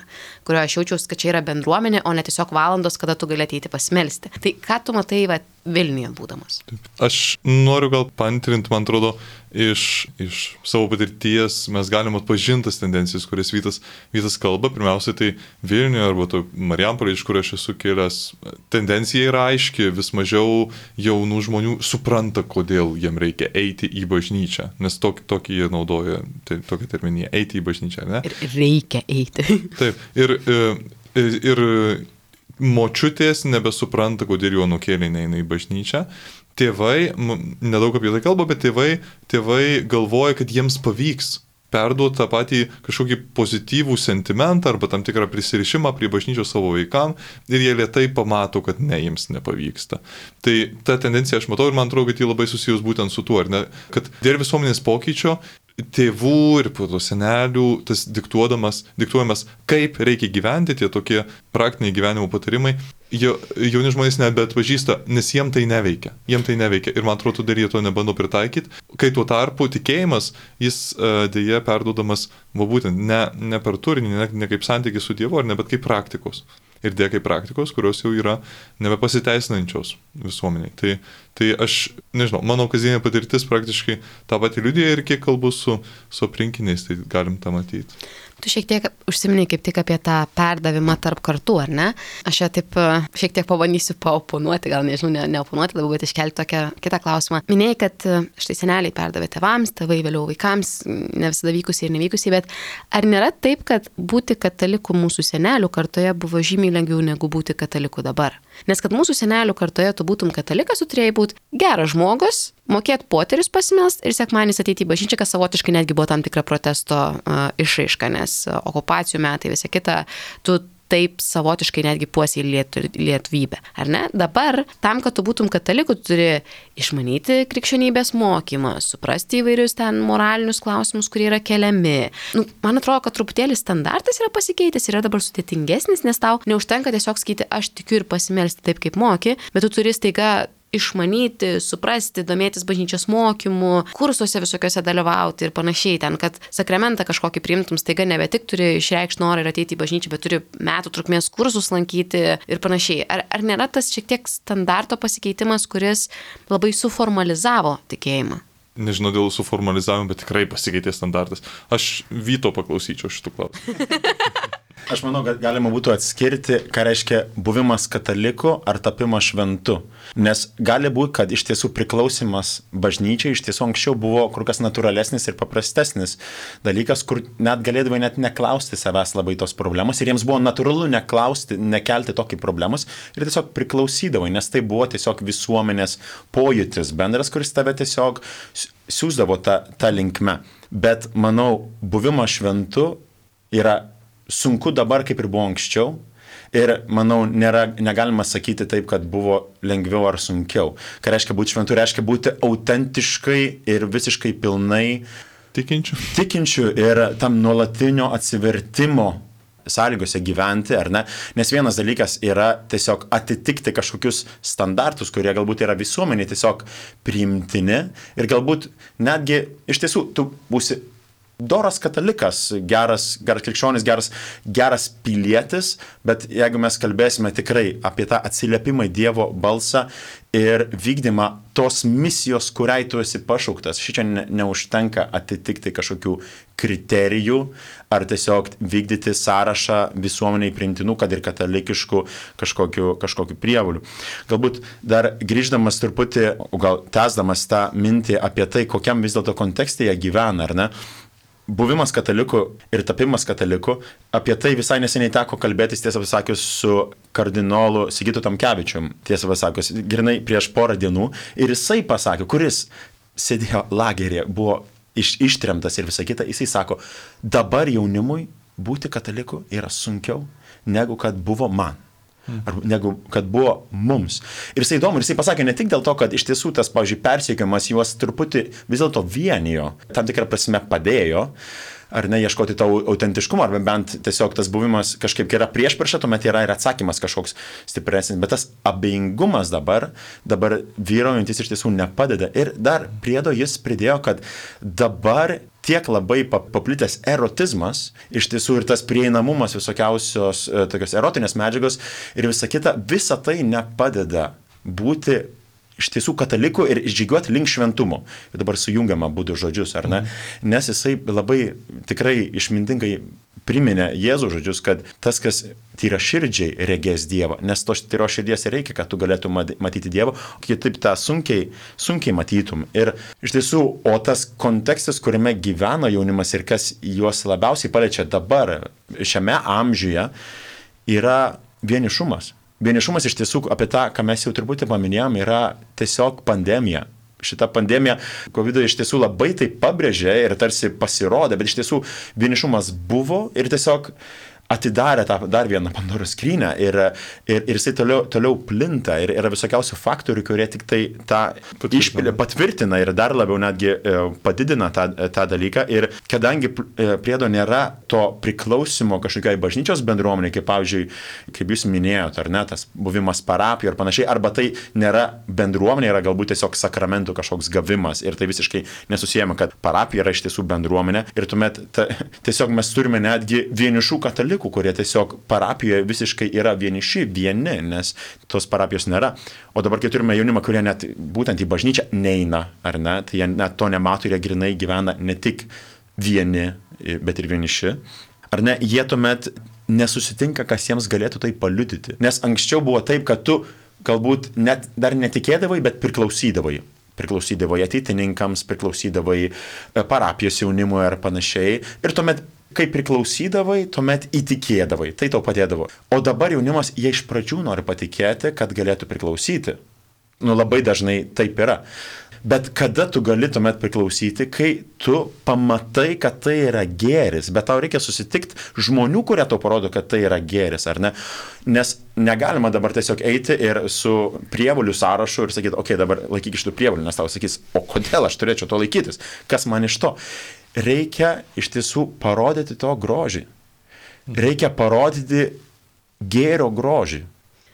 Speaker 1: kurioje aš jaučiaus, kad čia yra bendruomenė, o ne tiesiog valandos, kada tu gali ateiti pasimelsti. Tai ką tu matai va, Vilniuje būdamas?
Speaker 2: Aš noriu gal pantrinti, man atrodo, iš, iš savo patirties mes galim atpažintas tendencijas, kurias Vytas, Vytas kalba. Pirmiausia, tai Vilniuje arba to Marijampolėje, iš kur aš esu kilęs, tendencija yra aiški, vis mažiau jaunų žmonių supranta, kodėl jiem reikia eiti į bažnyčią, nes tokį, tokį jie naudoja, tai, tokią terminiją, eiti į bažnyčią, ne?
Speaker 1: Ir reikia eiti.
Speaker 2: Taip, ir, ir, ir močiutės nebesupranta, kodėl jų anūkėliai neina į bažnyčią. Tėvai, nedaug apie tai kalba, bet tėvai, tėvai galvoja, kad jiems pavyks perduoti tą patį kažkokį pozityvų sentimentą arba tam tikrą prisirišimą prie bažnyčios savo vaikam ir jie lėtai pamato, kad ne, jiems nepavyksta. Tai ta tendencija aš matau ir man atrodo, kad jį labai susijus būtent su tuo, ar ne, kad dėl visuomenės pokyčio tėvų ir po to senelių tas diktuodamas, diktuojamas, kaip reikia gyventi, tie tokie praktiniai gyvenimo patarimai, jauni žmonės nebeatpažįsta, nes jiem tai neveikia. Jiem tai neveikia ir man atrodo, dar jie to nebando pritaikyti. Kai tuo tarpu tikėjimas, jis dėja perduodamas, va būtent, ne, ne per turinį, ne, ne kaip santykis su Dievu, ar ne, bet kaip praktikos. Ir dėja kaip praktikos, kurios jau yra nebepasiteisinančios visuomeniai. Tai, tai aš, nežinau, mano kasdienė patirtis praktiškai tą patį liudija ir kiek kalbu su, su aplinkiniais, tai galim tą matyti.
Speaker 1: Tu šiek tiek užsiminiai kaip tik apie tą perdavimą tarp kartų, ar ne? Aš čia taip šiek tiek pabandysiu paoponuoti, gal nežinau, ne, neoponuoti, labiau, bet iškelti tokią kitą klausimą. Minėjai, kad štai seneliai perdavė tėvams, tėvai vėliau vaikams, ne visada vykusiai ir nevykusiai, bet ar nėra taip, kad būti kataliku mūsų senelių kartoje buvo žymiai lengviau negu būti kataliku dabar? Nes kad mūsų senelių kartoje tu būtum katalikas, tu turėjai būti geras žmogus, mokėti poterius pasimelst ir sekmadienis ateiti į bažnyčią, kas savotiškai netgi buvo tam tikra protesto uh, išraiška, nes okupacijų metai, visa kita, tu taip savotiškai netgi puosiai lietu, lietuvybę, ar ne? Dabar, tam, kad tu būtum kataliku, tu turi išmanyti krikščionybės mokymą, suprasti įvairius ten moralinius klausimus, kurie yra keliami. Nu, man atrodo, kad truputėlį standartas yra pasikeitęs, yra dabar sudėtingesnis, nes tau neužtenka tiesiog sakyti, aš tikiu ir pasimelsti taip, kaip moki, bet tu turi staiga išmanyti, suprasti, domėtis bažnyčios mokymu, kursuose visokiuose dalyvauti ir panašiai ten, kad sakramentą kažkokį priimtum, staiga nebe tik turi išreikšti norą ir ateiti į bažnyčią, bet turi metų trukmės kursus lankyti ir panašiai. Ar, ar nėra tas šiek tiek standarto pasikeitimas, kuris labai suformalizavo tikėjimą?
Speaker 2: nežinau dėl suformalizavimo, bet tikrai pasikeitė standartas. Aš Vyto paklausyčiau šitų klausimų.
Speaker 3: Aš manau, kad galima būtų atskirti, ką reiškia buvimas kataliku ar tapimas šventu. Nes gali būti, kad iš tiesų priklausimas bažnyčiai iš tiesų anksčiau buvo kur kas natūralesnis ir paprastesnis dalykas, kur net galėdavai net neklausti savęs labai tos problemos ir jiems buvo natūralu neklausti, nekelti tokį problemos ir tiesiog priklausydavai, nes tai buvo tiesiog visuomenės pojūtis bendras, kuris tave tiesiog siūsdavo tą, tą linkme. Bet manau, buvimas šventu yra sunku dabar, kaip ir buvo anksčiau. Ir, manau, nėra, negalima sakyti taip, kad buvo lengviau ar sunkiau. Ką reiškia būti šventu, reiškia būti autentiškai ir visiškai pilnai
Speaker 2: tikinčių.
Speaker 3: Tikinčių ir tam nuolatinio atsivertimo sąlygose gyventi, ar ne? Nes vienas dalykas yra tiesiog atitikti kažkokius standartus, kurie galbūt yra visuomeniai tiesiog priimtini ir galbūt netgi iš tiesų tu būsi doras katalikas, geras, geras krikščionis, geras, geras pilietis, bet jeigu mes kalbėsime tikrai apie tą atsiliepimą į Dievo balsą ir vykdymą tos misijos, kuriai tu esi pašauktas, šičia ne, neužtenka atitikti kažkokių kriterijų ar tiesiog vykdyti sąrašą visuomeniai priimtinų, kad ir katalikiškų kažkokių, kažkokių prievolių. Galbūt dar grįždamas truputį, gal tęsdamas tą mintį apie tai, kokiam vis dėlto kontekste jie gyvena, ar ne? Buvimas kataliku ir tapimas kataliku, apie tai visai neseniai teko kalbėtis, tiesą pasakius, su kardinolu Sigitu Tamkevičium, tiesą pasakius, grinai prieš porą dienų, ir jisai pasakė, kuris sėdėjo lageryje, buvo iš, ištremtas ir visą kitą, jisai sako, dabar jaunimui būti kataliku yra sunkiau, negu kad buvo man. Ar negu kad buvo mums. Ir jisai įdomu, ir jisai pasakė ne tik dėl to, kad iš tiesų tas, pavyzdžiui, persiekiamas juos truputį vis dėlto vienijo, tam tikrą prasme padėjo, ar ne, ieškoti to autentiškumo, arba bent tiesiog tas buvimas kažkaip yra priešpriešą, tuomet yra ir atsakymas kažkoks stipresnis, bet tas abejingumas dabar, dabar vyraujantis iš tiesų nepadeda. Ir dar priedo jis pridėjo, kad dabar tiek labai paplitęs erotizmas, iš tiesų ir tas prieinamumas visokiausios tokios erotinės medžiagos ir visa kita, visa tai nepadeda būti iš tiesų katalikų ir žygiuoti link šventumo. Ir dabar sujungiama būdų žodžius, ar ne? Nes jisai labai tikrai išmintingai priminė Jėzų žodžius, kad tas, kas tyra širdžiai regės Dievą, nes tos tyros širdies reikia, kad tu galėtum matyti Dievą, o kitaip tą sunkiai, sunkiai matytum. Ir iš tiesų, o tas kontekstas, kuriame gyvena jaunimas ir kas juos labiausiai paliečia dabar, šiame amžiuje, yra vienišumas. Vienišumas iš tiesų, apie tą, ką mes jau turbūt paminėjom, yra tiesiog pandemija. Šita pandemija COVID iš tiesų labai tai pabrėžė ir tarsi pasirodė, bet iš tiesų vienišumas buvo ir tiesiog atidarė tą dar vieną Pandoros skrynią ir, ir, ir jisai toliau, toliau plinta ir yra visokiausių faktorių, kurie tik tai tą išpilė, patvirtina ir dar labiau netgi padidina tą, tą dalyką. Ir kadangi priedo nėra to priklausimo kažkokiai bažnyčios bendruomeniai, kaip pavyzdžiui, kaip jūs minėjote, ar ne, tas buvimas parapijoje ir panašiai, arba tai nėra bendruomenė, yra galbūt tiesiog sakramentų kažkoks gavimas ir tai visiškai nesusijama, kad parapija yra iš tiesų bendruomenė ir tuomet ta, tiesiog mes turime netgi vienišų katalikų, kurie tiesiog parapijoje visiškai yra vieniši, vieni, nes tos parapijos nėra. O dabar, kai turime jaunimą, kurie net būtent į bažnyčią neina, ar ne, tai jie net to nemato ir jie grinai gyvena ne tik vieni, bet ir vieniši. Ar ne, jie tuomet nesusitinka, kas jiems galėtų tai paliudyti. Nes anksčiau buvo taip, kad tu galbūt net dar netikėdavai, bet priklausydavai. Priklausydavai ateitininkams, priklausydavai parapijos jaunimui ar panašiai. Ir tuomet kai priklausydavai, tuomet įtikėdavai, tai tau padėdavo. O dabar jaunimas, jie iš pradžių nori patikėti, kad galėtų priklausyti. Nu, labai dažnai taip yra. Bet kada tu gali tuomet priklausyti, kai tu pamatai, kad tai yra gėris, bet tau reikia susitikti žmonių, kurie tau parodo, kad tai yra gėris, ar ne? Nes negalima dabar tiesiog eiti ir su prievolių sąrašu ir sakyti, okei, okay, dabar laikyk iš tų prievolių, nes tau sakys, o kodėl aš turėčiau to laikytis? Kas man iš to? Reikia iš tiesų parodyti to grožį. Reikia parodyti gėrio grožį.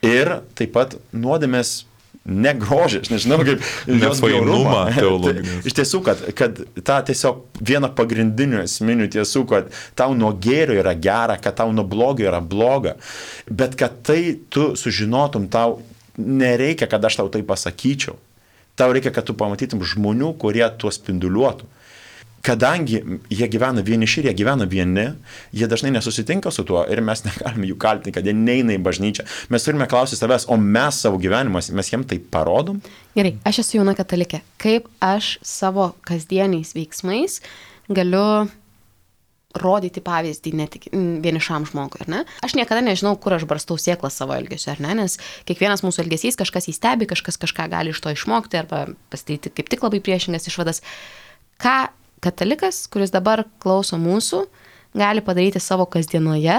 Speaker 3: Ir taip pat nuodėmės negrožį, aš nežinau, kaip
Speaker 2: nefainumą teologinį.
Speaker 3: Iš tiesų, kad, kad tą tiesiog vieną pagrindinių esminių tiesų, kad tau nuo gėrio yra gera, kad tau nuo blogio yra bloga, bet kad tai tu sužinotum, tau nereikia, kad aš tau tai pasakyčiau. Tau reikia, kad tu pamatytum žmonių, kurie tuo spinduliuotų. Kadangi jie gyvena vieniši ir jie gyvena vieni, jie dažnai nesusitinka su tuo ir mes negalime jų kaltinti, kad jie neina į bažnyčią. Mes turime klausyti savęs, o mes savo gyvenimas, mes jiem tai parodom?
Speaker 1: Gerai, aš esu jauna katalikė. Kaip aš savo kasdieniais veiksmais galiu rodyti pavyzdį ne tik vienišam žmogui, ar ne? Aš niekada nežinau, kur aš barstau sėklą savo elgesiu, ar ne? Nes kiekvienas mūsų elgesys kažkas įstebi, kažkas kažką gali iš to išmokti arba pasidaryti kaip tik labai priešingas išvadas. Ką katalikas, kuris dabar klauso mūsų, gali padaryti savo kasdienoje,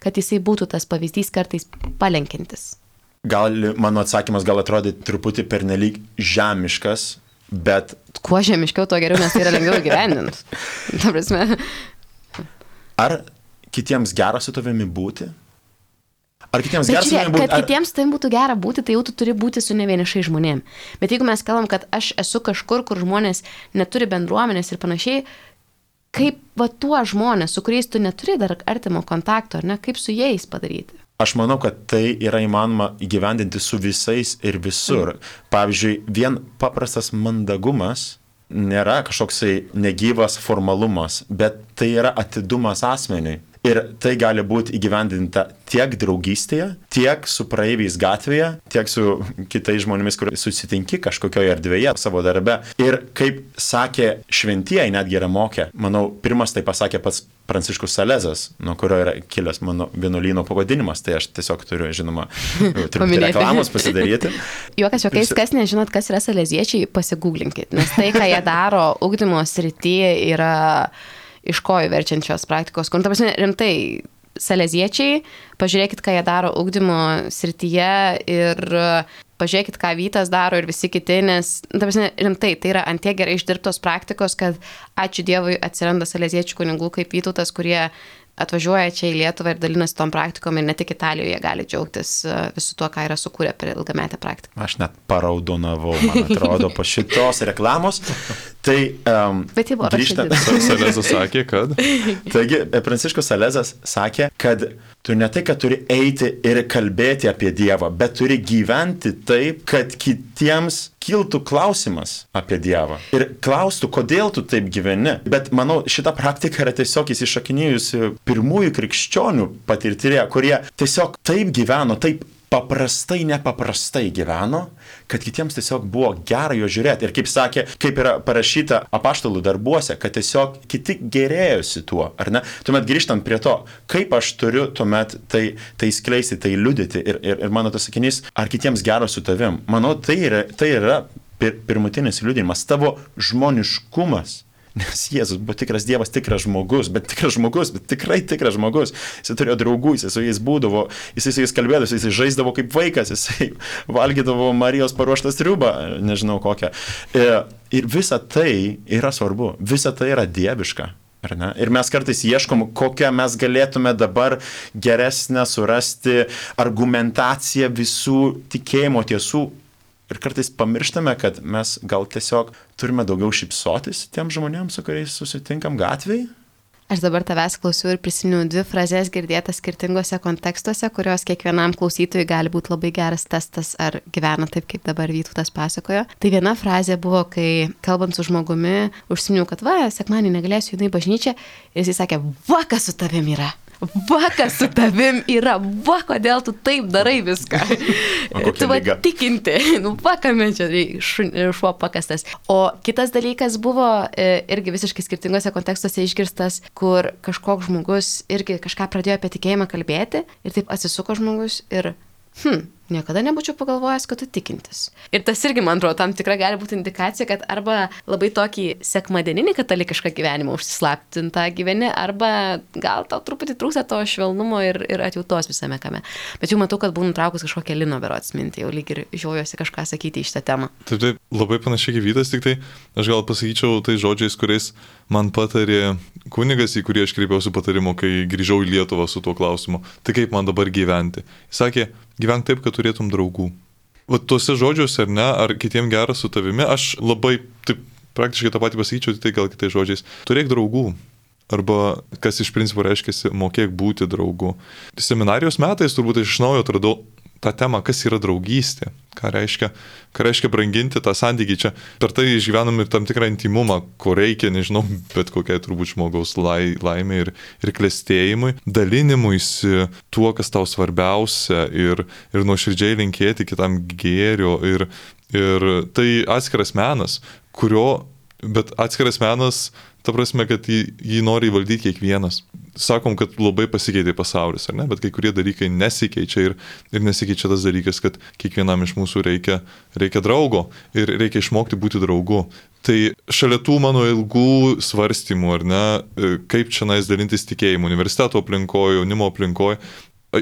Speaker 1: kad jisai būtų tas pavyzdys kartais palenkintis?
Speaker 3: Gal mano atsakymas gal atrodė truputį pernelyg žemiškas, bet...
Speaker 1: Kuo žemiškiau, to geriau, nes tai yra lengviau gyvendint. Ta prasme.
Speaker 3: Ar kitiems gera su tavimi būti? Ar kitiems
Speaker 1: Bet
Speaker 3: gera su
Speaker 1: žiūrėk,
Speaker 3: tavimi būti?
Speaker 1: kad
Speaker 3: Ar...
Speaker 1: kitiems tai būtų gera būti, tai jau tu turi būti su nevienišai žmonėm. Bet jeigu mes kalbam, kad aš esu kažkur, kur žmonės neturi bendruomenės ir panašiai, kaip va tuo žmonės, su kuriais tu neturi dar artimo kontakto, ar ne, kaip su jais padaryti?
Speaker 3: Aš manau, kad tai yra įmanoma įgyvendinti su visais ir visur. Mm. Pavyzdžiui, vien paprastas mandagumas nėra kažkoksai negyvas formalumas, bet tai yra atidumas asmeniui. Ir tai gali būti įgyvendinta tiek draugystėje, tiek su praeiviais gatvėje, tiek su kitais žmonėmis, kur susitinki kažkokioje erdvėje savo darbe. Ir kaip sakė šventieji, netgi yra mokę, manau, pirmas tai pasakė pats Pranciškus Salezas, nuo kurio yra kilęs mano vienuolyno pavadinimas, tai aš tiesiog turiu, žinoma, truputį reklamos pasidaryti.
Speaker 1: Juokas, juokais, kas nežinot, kas yra saleziečiai, pasigūglinkit, nes tai, ką jie daro ugdymo srityje, yra iš kojų verčiančios praktikos. Kur, ta prasme, rimtai, saleziečiai, pažiūrėkit, ką jie daro ugdymo srityje ir pažiūrėkit, ką Vytas daro ir visi kiti, nes, ta prasme, rimtai, tai yra ant tiek gerai išdirbtos praktikos, kad ačiū Dievui atsiranda saleziečių kunigų kaip Vytautas, kurie atvažiuoja čia į Lietuvą ir dalinasi tom praktikom ir ne tik Italijoje gali džiaugtis visu tuo, ką yra sukūrę per ilgametę praktiką.
Speaker 3: Aš net paraudonavau, man atrodo, po šitos reklamos. Tai um,
Speaker 1: Bet jie buvo
Speaker 3: grįžta...
Speaker 2: Salezas sakė, kad...
Speaker 3: Taigi, Pranciškus Salezas sakė, kad tu ne tai, kad turi eiti ir kalbėti apie Dievą, bet turi gyventi taip, kad kitiems kiltų klausimas apie Dievą. Ir klaustų, kodėl tu taip gyveni. Bet manau, šita praktika yra tiesiog įsišakinėjusi pirmųjų krikščionių patirtyje, kurie tiesiog taip gyveno, taip paprastai, nepaprastai gyveno, kad kitiems tiesiog buvo gera jo žiūrėti. Ir kaip sakė, kaip yra parašyta apaštalų darbuose, kad tiesiog kiti gerėjosi tuo, ar ne? Tuomet grįžtant prie to, kaip aš turiu tuomet tai, tai skleisti, tai liudyti. Ir, ir, ir mano tas sakinys, ar kitiems gera su tavim. Manau, tai yra, tai yra pir, pirmutinis liudijimas, tavo žmoniškumas. Nes Jėzus buvo tikras Dievas, tikras žmogus, bet tikras žmogus, bet tikrai tikras žmogus. Jis turėjo draugų, jis su jais būdavo, jis su jais kalbėdavo, jis žaisdavo kaip vaikas, jis valgydavo Marijos paruoštą sriubą, nežinau kokią. Ir visa tai yra svarbu, visa tai yra dieviška. Ar ne? Ir mes kartais ieškom, kokią mes galėtume dabar geresnę surasti argumentaciją visų tikėjimo tiesų. Ir kartais pamirštame, kad mes gal tiesiog turime daugiau šypsotis tiem žmonėms, su kuriais susitinkam gatvėje.
Speaker 1: Aš dabar tavęs klausiu ir prisiminiau dvi frazes girdėtas skirtingose kontekstuose, kurios kiekvienam klausytojui gali būti labai geras testas, ar gyvena taip, kaip dabar Vytautas pasakojo. Tai viena frazė buvo, kai kalbant su žmogumi, užsiminiau, kad va, sekmadienį negalėsiu judinti į bažnyčią, ir jis sakė, va, kas su tavim yra. Va, kas su tavim yra, va, kodėl tu taip darai viską. Tu va tikinti, nu, va, kame čia šuo pakastas. O kitas dalykas buvo irgi visiškai skirtingose kontekstuose išgirstas, kur kažkoks žmogus irgi kažką pradėjo apie tikėjimą kalbėti ir taip atsisuko žmogus ir, hm, niekada nebūčiau pagalvojęs, kad tu tikintis. Ir tas irgi, man atrodo, tam tikra gali būti indikacija, kad arba labai tokį sekmadieninį katalikišką gyvenimą užsislaptintą gyveni, arba gal tau truputį trūksta to švelnumo ir, ir atjautos visame kame. Bet jau matau, kad buvau nutraukus kažkokią Lino berods mintį, jau lyg ir žiojosi kažką sakyti į šitą temą.
Speaker 2: Taip, taip, labai panašiai kaip Vytas, tik tai aš gal pasakyčiau tai žodžiais, kuriais man patarė kunigas, į kurį aš kreipiausi patarimo, kai grįžau į Lietuvą su tuo klausimu. Tai kaip man dabar gyventi? Jis sakė, gyvenk taip, kad turėtum draugų. Va tuose žodžiuose, ar ne, ar kitiem gera su tavimi, aš labai, taip, praktiškai tą patį pasakyčiau, tai gal kitais žodžiais. Turėk draugų. Arba, kas iš principo reiškia, mokėk būti draugu. Seminarijos metais turbūt aš iš naujo atradau tą temą, kas yra draugystė, ką reiškia, ką reiškia branginti tą santykį. Čia per tai išgyvenam ir tam tikrą intimumą, ko reikia, nežinau, bet kokiai turbūt žmogaus lai, laimė ir, ir klestėjimui, dalinimuisi tuo, kas tau svarbiausia ir, ir nuoširdžiai linkėti kitam gėrio. Ir, ir tai atskiras menas, kurio, bet atskiras menas, ta prasme, kad jį, jį nori įvaldyti kiekvienas. Sakom, kad labai pasikeitė pasaulis, ar ne? Bet kai kurie dalykai nesikeičia ir, ir nesikeičia tas dalykas, kad kiekvienam iš mūsų reikia, reikia draugo ir reikia išmokti būti draugu. Tai šalia tų mano ilgų svarstymų, ar ne, kaip čia nais dalintis tikėjimu, universiteto aplinkoje, jaunimo aplinkoje,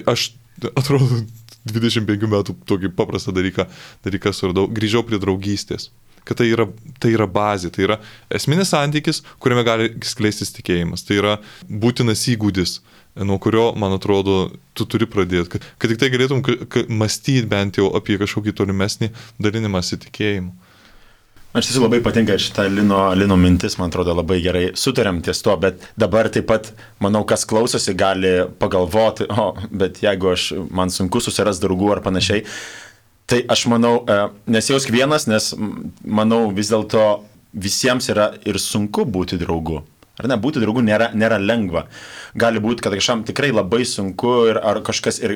Speaker 2: aš atrodo dvidešimt penkių metų tokį paprastą dalyką, dalyką suradau, grįžau prie draugystės. Kad tai yra, tai yra bazė, tai yra esminis santykis, kuriame gali skleistis tikėjimas. Tai yra būtinas įgūdis, nuo kurio, man atrodo, tu turi pradėti. Kad, kad tik tai galėtum mąstyti bent jau apie kažkokį tolimesnį dalinimąsi tikėjimu.
Speaker 3: Aš tiesiog labai patinka šitą Lino, Lino mintis, man atrodo, labai gerai sutarėm ties to, bet dabar taip pat, manau, kas klausosi, gali pagalvoti, o, bet jeigu aš, man sunku susiras draugų ar panašiai, tai aš manau, nesijausk vienas, nes manau vis dėlto visiems yra ir sunku būti draugu. Ar ne, būti draugu nėra, nėra lengva. Gali būti, kad kažkam tikrai labai sunku ir ar kažkas ir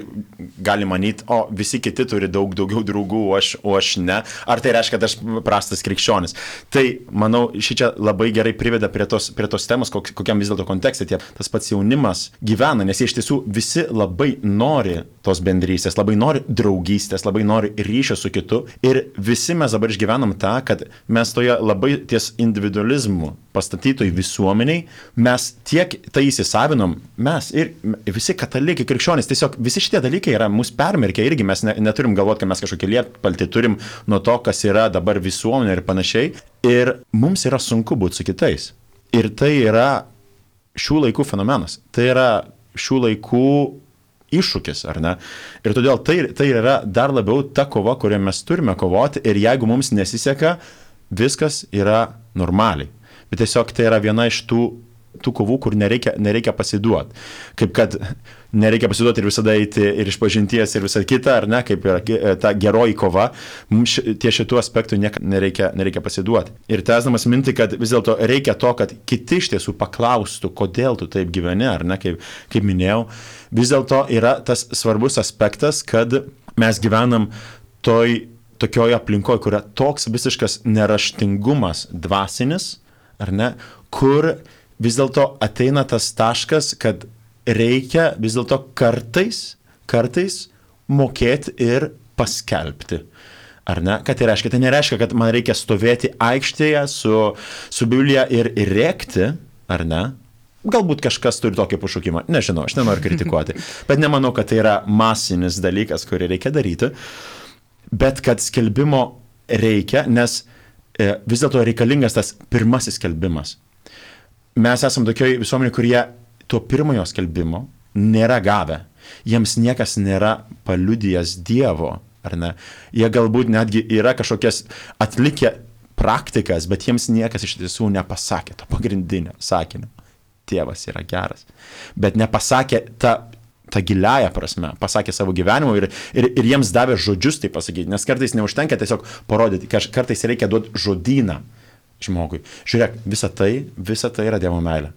Speaker 3: gali manyti, o visi kiti turi daug daugiau draugų, o aš, o aš ne. Ar tai reiškia, kad aš prastas krikščionis. Tai, manau, šičia labai gerai priveda prie tos, prie tos temos, kok, kokiam vis dėlto kontekste tie, tas pats jaunimas gyvena, nes jie iš tiesų visi labai nori tos bendrystės, labai nori draugystės, labai nori ryšio su kitu. Ir visi mes dabar išgyvenam tą, kad mes toje labai ties individualizmu pastatytoj visuomeniai, mes tiek tai įsisavinom, mes ir visi katalikai, krikščionys, tiesiog visi šitie dalykai yra mūsų permerkę irgi, mes ne, neturim galvoti, kad mes kažkokį lietpaltį turim nuo to, kas yra dabar visuomenė ir panašiai. Ir mums yra sunku būti su kitais. Ir tai yra šių laikų fenomenas. Tai yra šių laikų iššūkis, ar ne? Ir todėl tai, tai yra dar labiau ta kova, kurią mes turime kovoti ir jeigu mums nesiseka, viskas yra normaliai. Bet tiesiog tai yra viena iš tų, tų kovų, kur nereikia, nereikia pasiduoti. Kaip kad nereikia pasiduoti ir visada eiti ir iš pažinties ir visą kitą, ar ne, kaip yra ta geroji kova, mums tie šitų aspektų nereikia, nereikia pasiduoti. Ir tęsdamas mintį, kad vis dėlto reikia to, kad kiti iš tiesų paklaustų, kodėl tu taip gyveni, ar ne, kaip, kaip minėjau, vis dėlto yra tas svarbus aspektas, kad mes gyvenam toj, tokioje aplinkoje, kur yra toks visiškas neraštingumas dvasinis, ar ne, kur vis dėlto ateina tas taškas, kad reikia vis dėlto kartais, kartais mokėti ir paskelbti. Ar ne? Ką tai reiškia? Tai nereiškia, kad man reikia stovėti aikštėje su, su Biblija ir, ir rėkti, ar ne? Galbūt kažkas turi tokį pašaukimą. Nežinau, aš nenoriu kritikuoti. Bet nemanau, kad tai yra masinis dalykas, kurį reikia daryti. Bet kad skelbimo reikia, nes vis dėlto reikalingas tas pirmasis skelbimas. Mes esam tokioje visuomenėje, kurie to pirmojo skelbimo nėra gavę. Jiems niekas nėra paliudijęs Dievo, ar ne? Jie galbūt netgi yra kažkokias atlikę praktikas, bet jiems niekas iš tiesų nepasakė to pagrindinio sakinio. Dievas yra geras. Bet nepasakė tą ta giliaja prasme, pasakė savo gyvenimu ir, ir, ir jiems davė žodžius tai pasakyti, nes kartais neužtenka tiesiog parodyti, kartais reikia duoti žodyną žmogui. Žiūrėk, visa tai, visa tai yra Dievo meilė.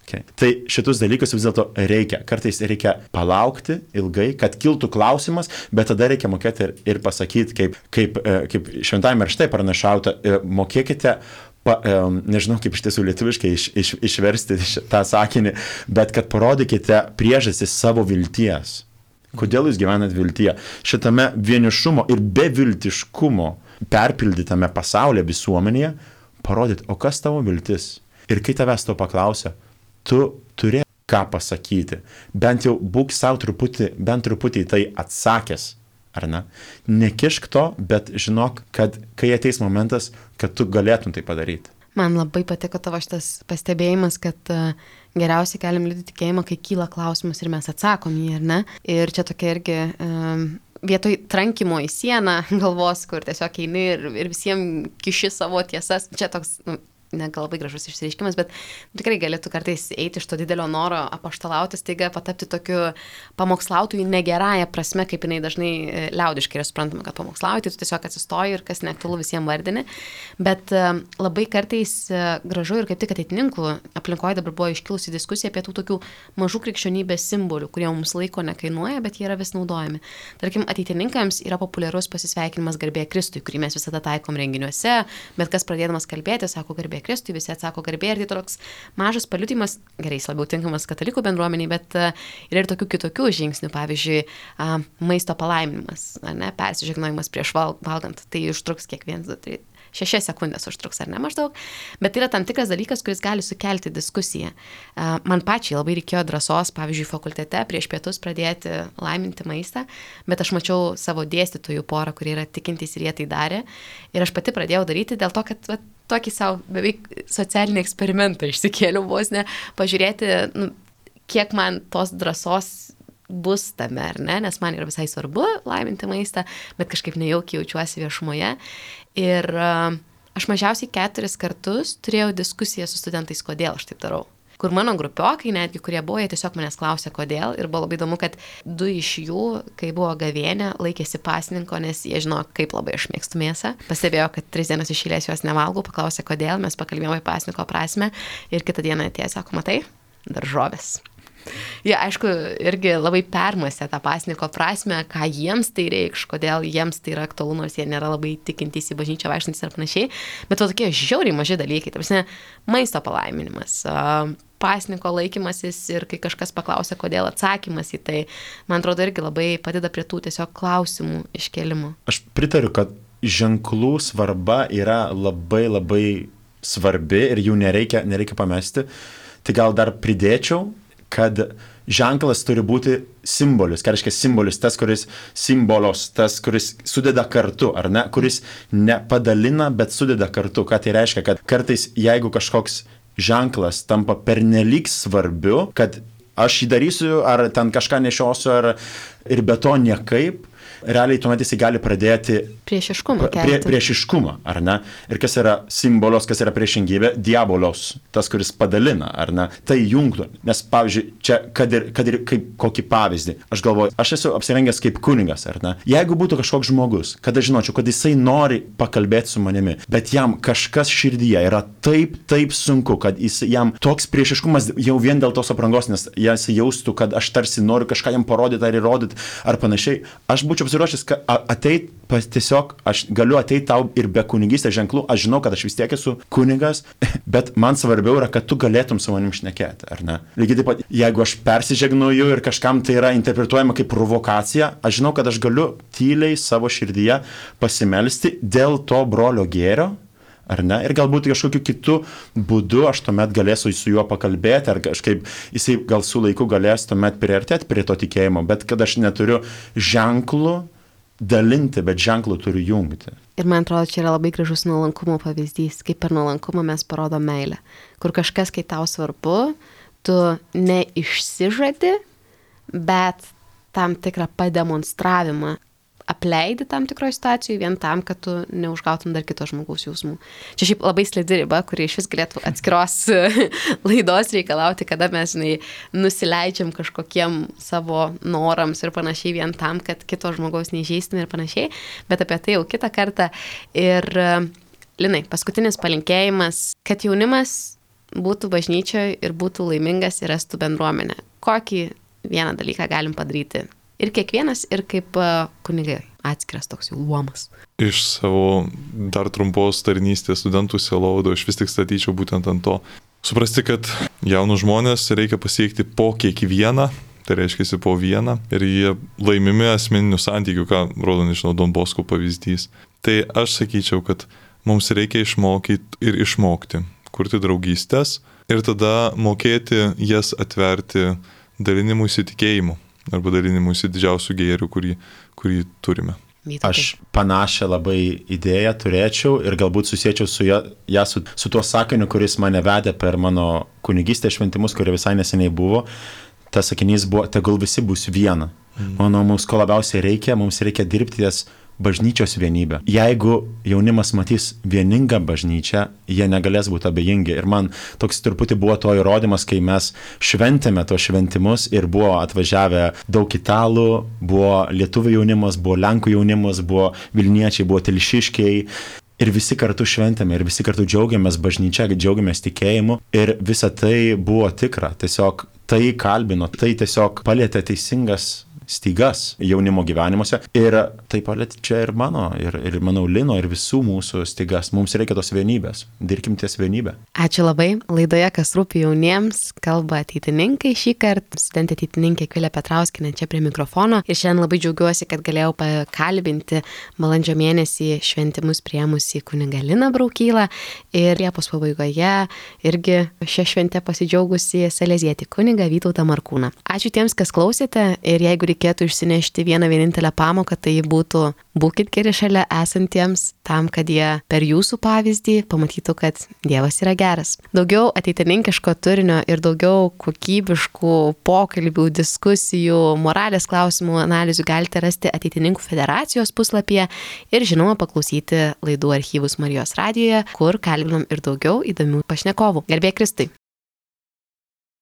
Speaker 3: Okay. Tai šitus dalykus vis dėlto reikia. Kartais reikia palaukti ilgai, kad kiltų klausimas, bet tada reikia mokėti ir, ir pasakyti, kaip, kaip, kaip šventajame rašte pranašauta, mokėkite Pa, nežinau, kaip iš tiesų lietuviškai iš, iš, išversti tą sakinį, bet kad parodykite priežastį savo vilties. Kodėl jūs gyvenat viltyje? Šitame vienišumo ir beviltiškumo perpildytame pasaulyje visuomenėje parodyti, o kas tavo viltis? Ir kai tavęs to paklausia, tu turi ką pasakyti. Bent jau būk savo truputį, bent truputį tai atsakęs. Ar ne? Nekišk to, bet žinok, kad kai ateis momentas, kad tu galėtum tai padaryti.
Speaker 1: Man labai patiko tavo šitas pastebėjimas, kad uh, geriausiai galim liudyti tikėjimą, kai kyla klausimas ir mes atsakom jį, ar ne? Ir čia tokia irgi um, vietoj trankimo į sieną galvos, kur tiesiog eini ir, ir visiems kiši savo tiesas. Čia toks nu, negal labai gražus išsireiškimas, bet tikrai galėtų kartais eiti iš to didelio noro apaštalauti, staiga patapti tokiu pamokslautojų negerąją prasme, kaip jinai dažnai liaudiškai yra suprantama, kad pamokslauji, tai tu tiesiog atsistoji ir kas neaktualu visiems vardini. Bet labai kartais gražu ir kaip tik ateitininkų aplinkoje dabar buvo iškilusi diskusija apie tų tokių mažų krikščionybės simbolių, kurie mums laiko nekainuoja, bet jie yra vis naudojami. Tarkim, ateitininkams yra populiarus pasisveikinimas garbė Kristui, kurį mes visada taikom renginiuose, bet kas pradėdamas kalbėti, sako garbė Kristui, visi atsako garbė ir tai toks mažas paliudimas, gerai, jis labiau tinkamas katalikų bendruomeniai, bet uh, yra ir tokių kitokių žingsnių, pavyzdžiui, uh, maisto palaiminimas, ne, persižegnojimas prieš val, valgant, tai užtruks kiek vienas, du, trys, šešias sekundės užtruks, ar ne maždaug, bet tai yra tam tikras dalykas, kuris gali sukelti diskusiją. Uh, man pačiai labai reikėjo drąsos, pavyzdžiui, fakultete prieš pietus pradėti laiminti maistą, bet aš mačiau savo dėstytojų porą, kurie yra tikintys ir jie tai darė, ir aš pati pradėjau daryti dėl to, kad va, tokį savo beveik socialinį eksperimentą išsikėliau vos ne, pažiūrėti, nu, kiek man tos drąsos bus tame, ar ne, nes man yra visai svarbu laiminti maistą, bet kažkaip nejaukiai jaučiuosi viešumoje. Ir uh, aš mažiausiai keturis kartus turėjau diskusiją su studentais, kodėl aš taip darau. Kur mano grupiokai, netgi kurie buvo, jie tiesiog manęs klausė, kodėl. Ir buvo labai įdomu, kad du iš jų, kai buvo gavėnė, laikėsi pasninko, nes jie žino, kaip labai aš mėgstu mėsą. Pastebėjo, kad tris dienas iš eilės jos nevalgau, paklausė, kodėl, mes pakalbėjome apie pasninko prasme. Ir kitą dieną atėjo, sako, matai, daržovės. Jie, aišku, irgi labai permąstė tą pasninko prasme, ką jiems tai reikš, kodėl jiems tai yra aktualu, nors jie nėra labai tikintys į bažnyčią vaikštantys ir panašiai. Bet to tokie žiauriai maži dalykai, ta prasme, maisto palaiminimas, pasninko laikymasis ir kai kažkas paklausia, kodėl, atsakymas į tai, man atrodo, irgi labai padeda prie tų tiesiog klausimų iškėlimų.
Speaker 3: Aš pritariu, kad ženklų svarba yra labai labai svarbi ir jų nereikia, nereikia pamesti. Tai gal dar pridėčiau, kad ženklas turi būti simbolis, ką reiškia simbolis, tas, kuris simbolos, tas, kuris sudeda kartu, ar ne, kuris nepadalina, bet sudeda kartu. Ką tai reiškia, kad kartais, jeigu kažkoks ženklas tampa pernelyg svarbiu, kad aš jį darysiu, ar ten kažką nešiosiu, ar ir be to niekaip, realiai tuomet jisai gali pradėti
Speaker 1: priešiškumą,
Speaker 3: prie, priešiškumą, ar ne? Ir kas yra simbolos, kas yra priešingybė? Diabolos, tas, kuris padalina, ar ne? Tai jungtų. Nes, pavyzdžiui, čia, kad ir, kad ir kaip kokį pavyzdį, aš galvoju, aš esu apsirengęs kaip kunigas, ar ne? Jeigu būtų kažkoks žmogus, kad aš žinočiau, kad jisai nori pakalbėti su manimi, bet jam kažkas širdyje yra taip, taip sunku, kad jis, jam toks priešiškumas jau vien dėl tos aprangos, nes jis jaustų, kad aš tarsi noriu kažką jam parodyti ar įrodyti, ar panašiai, aš būčiau pasiruošęs ateit, pas, tiesiog aš galiu ateiti tau ir be kunigystės ženklų, aš žinau, kad aš vis tiek esu kunigas, bet man svarbiau yra, kad tu galėtum su manim šnekėti, ar ne? Lygiai taip pat, jeigu aš persižegnuoju ir kažkam tai yra interpretuojama kaip provokacija, aš žinau, kad aš galiu tyliai savo širdyje pasimelsti dėl to brolio gėrio, ar ne? Ir galbūt kažkokiu kitu būdu aš tuomet galėsiu su juo pakalbėti, ar kažkaip jisai gal su laiku galės tuomet priartėti prie to tikėjimo, bet kad aš neturiu ženklų dalinti, bet ženklų turiu jungti.
Speaker 1: Ir man atrodo, čia yra labai gražus nuolankumo pavyzdys, kaip per nuolankumą mes parodom meilę, kur kažkas, kai tau svarbu, tu neišsižadi, bet tam tikrą pademonstravimą apleidi tam tikroje situacijoje vien tam, kad tu neužgautum dar kito žmogaus jausmų. Čia šiaip labai slidi riba, kuri iš vis galėtų atskiros laidos reikalauti, kada mes, žinai, nusileidžiam kažkokiem savo norams ir panašiai vien tam, kad kito žmogaus neįžeistume ir panašiai, bet apie tai jau kitą kartą. Ir, Linai, paskutinis palinkėjimas, kad jaunimas būtų bažnyčioje ir būtų laimingas ir rastų bendruomenę. Kokį vieną dalyką galim padaryti? Ir kiekvienas, ir kaip kunigai atskiras toks jau luomas.
Speaker 2: Iš savo dar trumpos tarnystės studentų sielovado aš vis tik statyčiau būtent ant to. Suprasti, kad jaunus žmonės reikia pasiekti po kiekvieną, tai reiškia po vieną, ir jie laimimi asmeninių santykių, ką rodo, nežinau, Don Bosko pavyzdys. Tai aš sakyčiau, kad mums reikia išmokyti ir išmokti, kurti draugystės ir tada mokėti jas atverti dalinimų įsitikėjimu arba dalinimuisi didžiausių gėrių, kurį, kurį turime.
Speaker 3: Aš panašią labai idėją turėčiau ir galbūt susiečiau su ją, ją su, su tuo sakiniu, kuris mane vedė per mano kunigystės šventimus, kurie visai neseniai buvo. Tas sakinys buvo, tegul visi bus viena. Mm. Manau, mums ko labiausiai reikia, mums reikia dirbti ties bažnyčios vienybę. Jeigu jaunimas matys vieningą bažnyčią, jie negalės būti abejingi. Ir man toks truputį buvo to įrodymas, kai mes šventėme tos šventimus ir buvo atvažiavę daug italų, buvo lietuvių jaunimas, buvo lenkų jaunimas, buvo vilniečiai, buvo telšiškiai. Ir visi kartu šventėme, ir visi kartu džiaugiamės bažnyčia, džiaugiamės tikėjimu. Ir visa tai buvo tikra. Tiesiog tai kalbino, tai tiesiog palėtė teisingas stygas jaunimo gyvenimuose. Ir tai palėtė čia ir mano, ir, ir manau Lino, ir visų mūsų stygas. Mums reikia tos vienybės. Dirbkim ties vienybę.
Speaker 1: Ačiū labai. Laidoje Kas rūpi jauniems kalba ateitininkai šį kartą. Studentė ateitininkė Akvilė Petrauskienė čia prie mikrofono. Ir šiandien labai džiaugiuosi, kad galėjau pakalbinti balandžio mėnesį šventimus priėmusi kunigą Liną Braukylą. Ir Liepos pabaigoje irgi šią šventę pasidžiaugusi salezietį kunigą Vytautą Markūną. Ačiū tiems, kas klausėte. Ir jeigu reikėtų išsinešti vieną vienintelę pamoką, tai būtų būkit geri šalia esantiems, tam, kad jie per jūsų pavyzdį pamatytų, kad Dievas yra geras. Daugiau ateitininkiško turinio ir daugiau kokybiškų pokalbių, diskusijų, moralės klausimų analizių galite rasti Ateitininkų federacijos puslapyje ir žinoma paklausyti laidų archyvus Marijos radijoje, kur kalbinom ir daugiau įdomių pašnekovų. Garbė Kristui.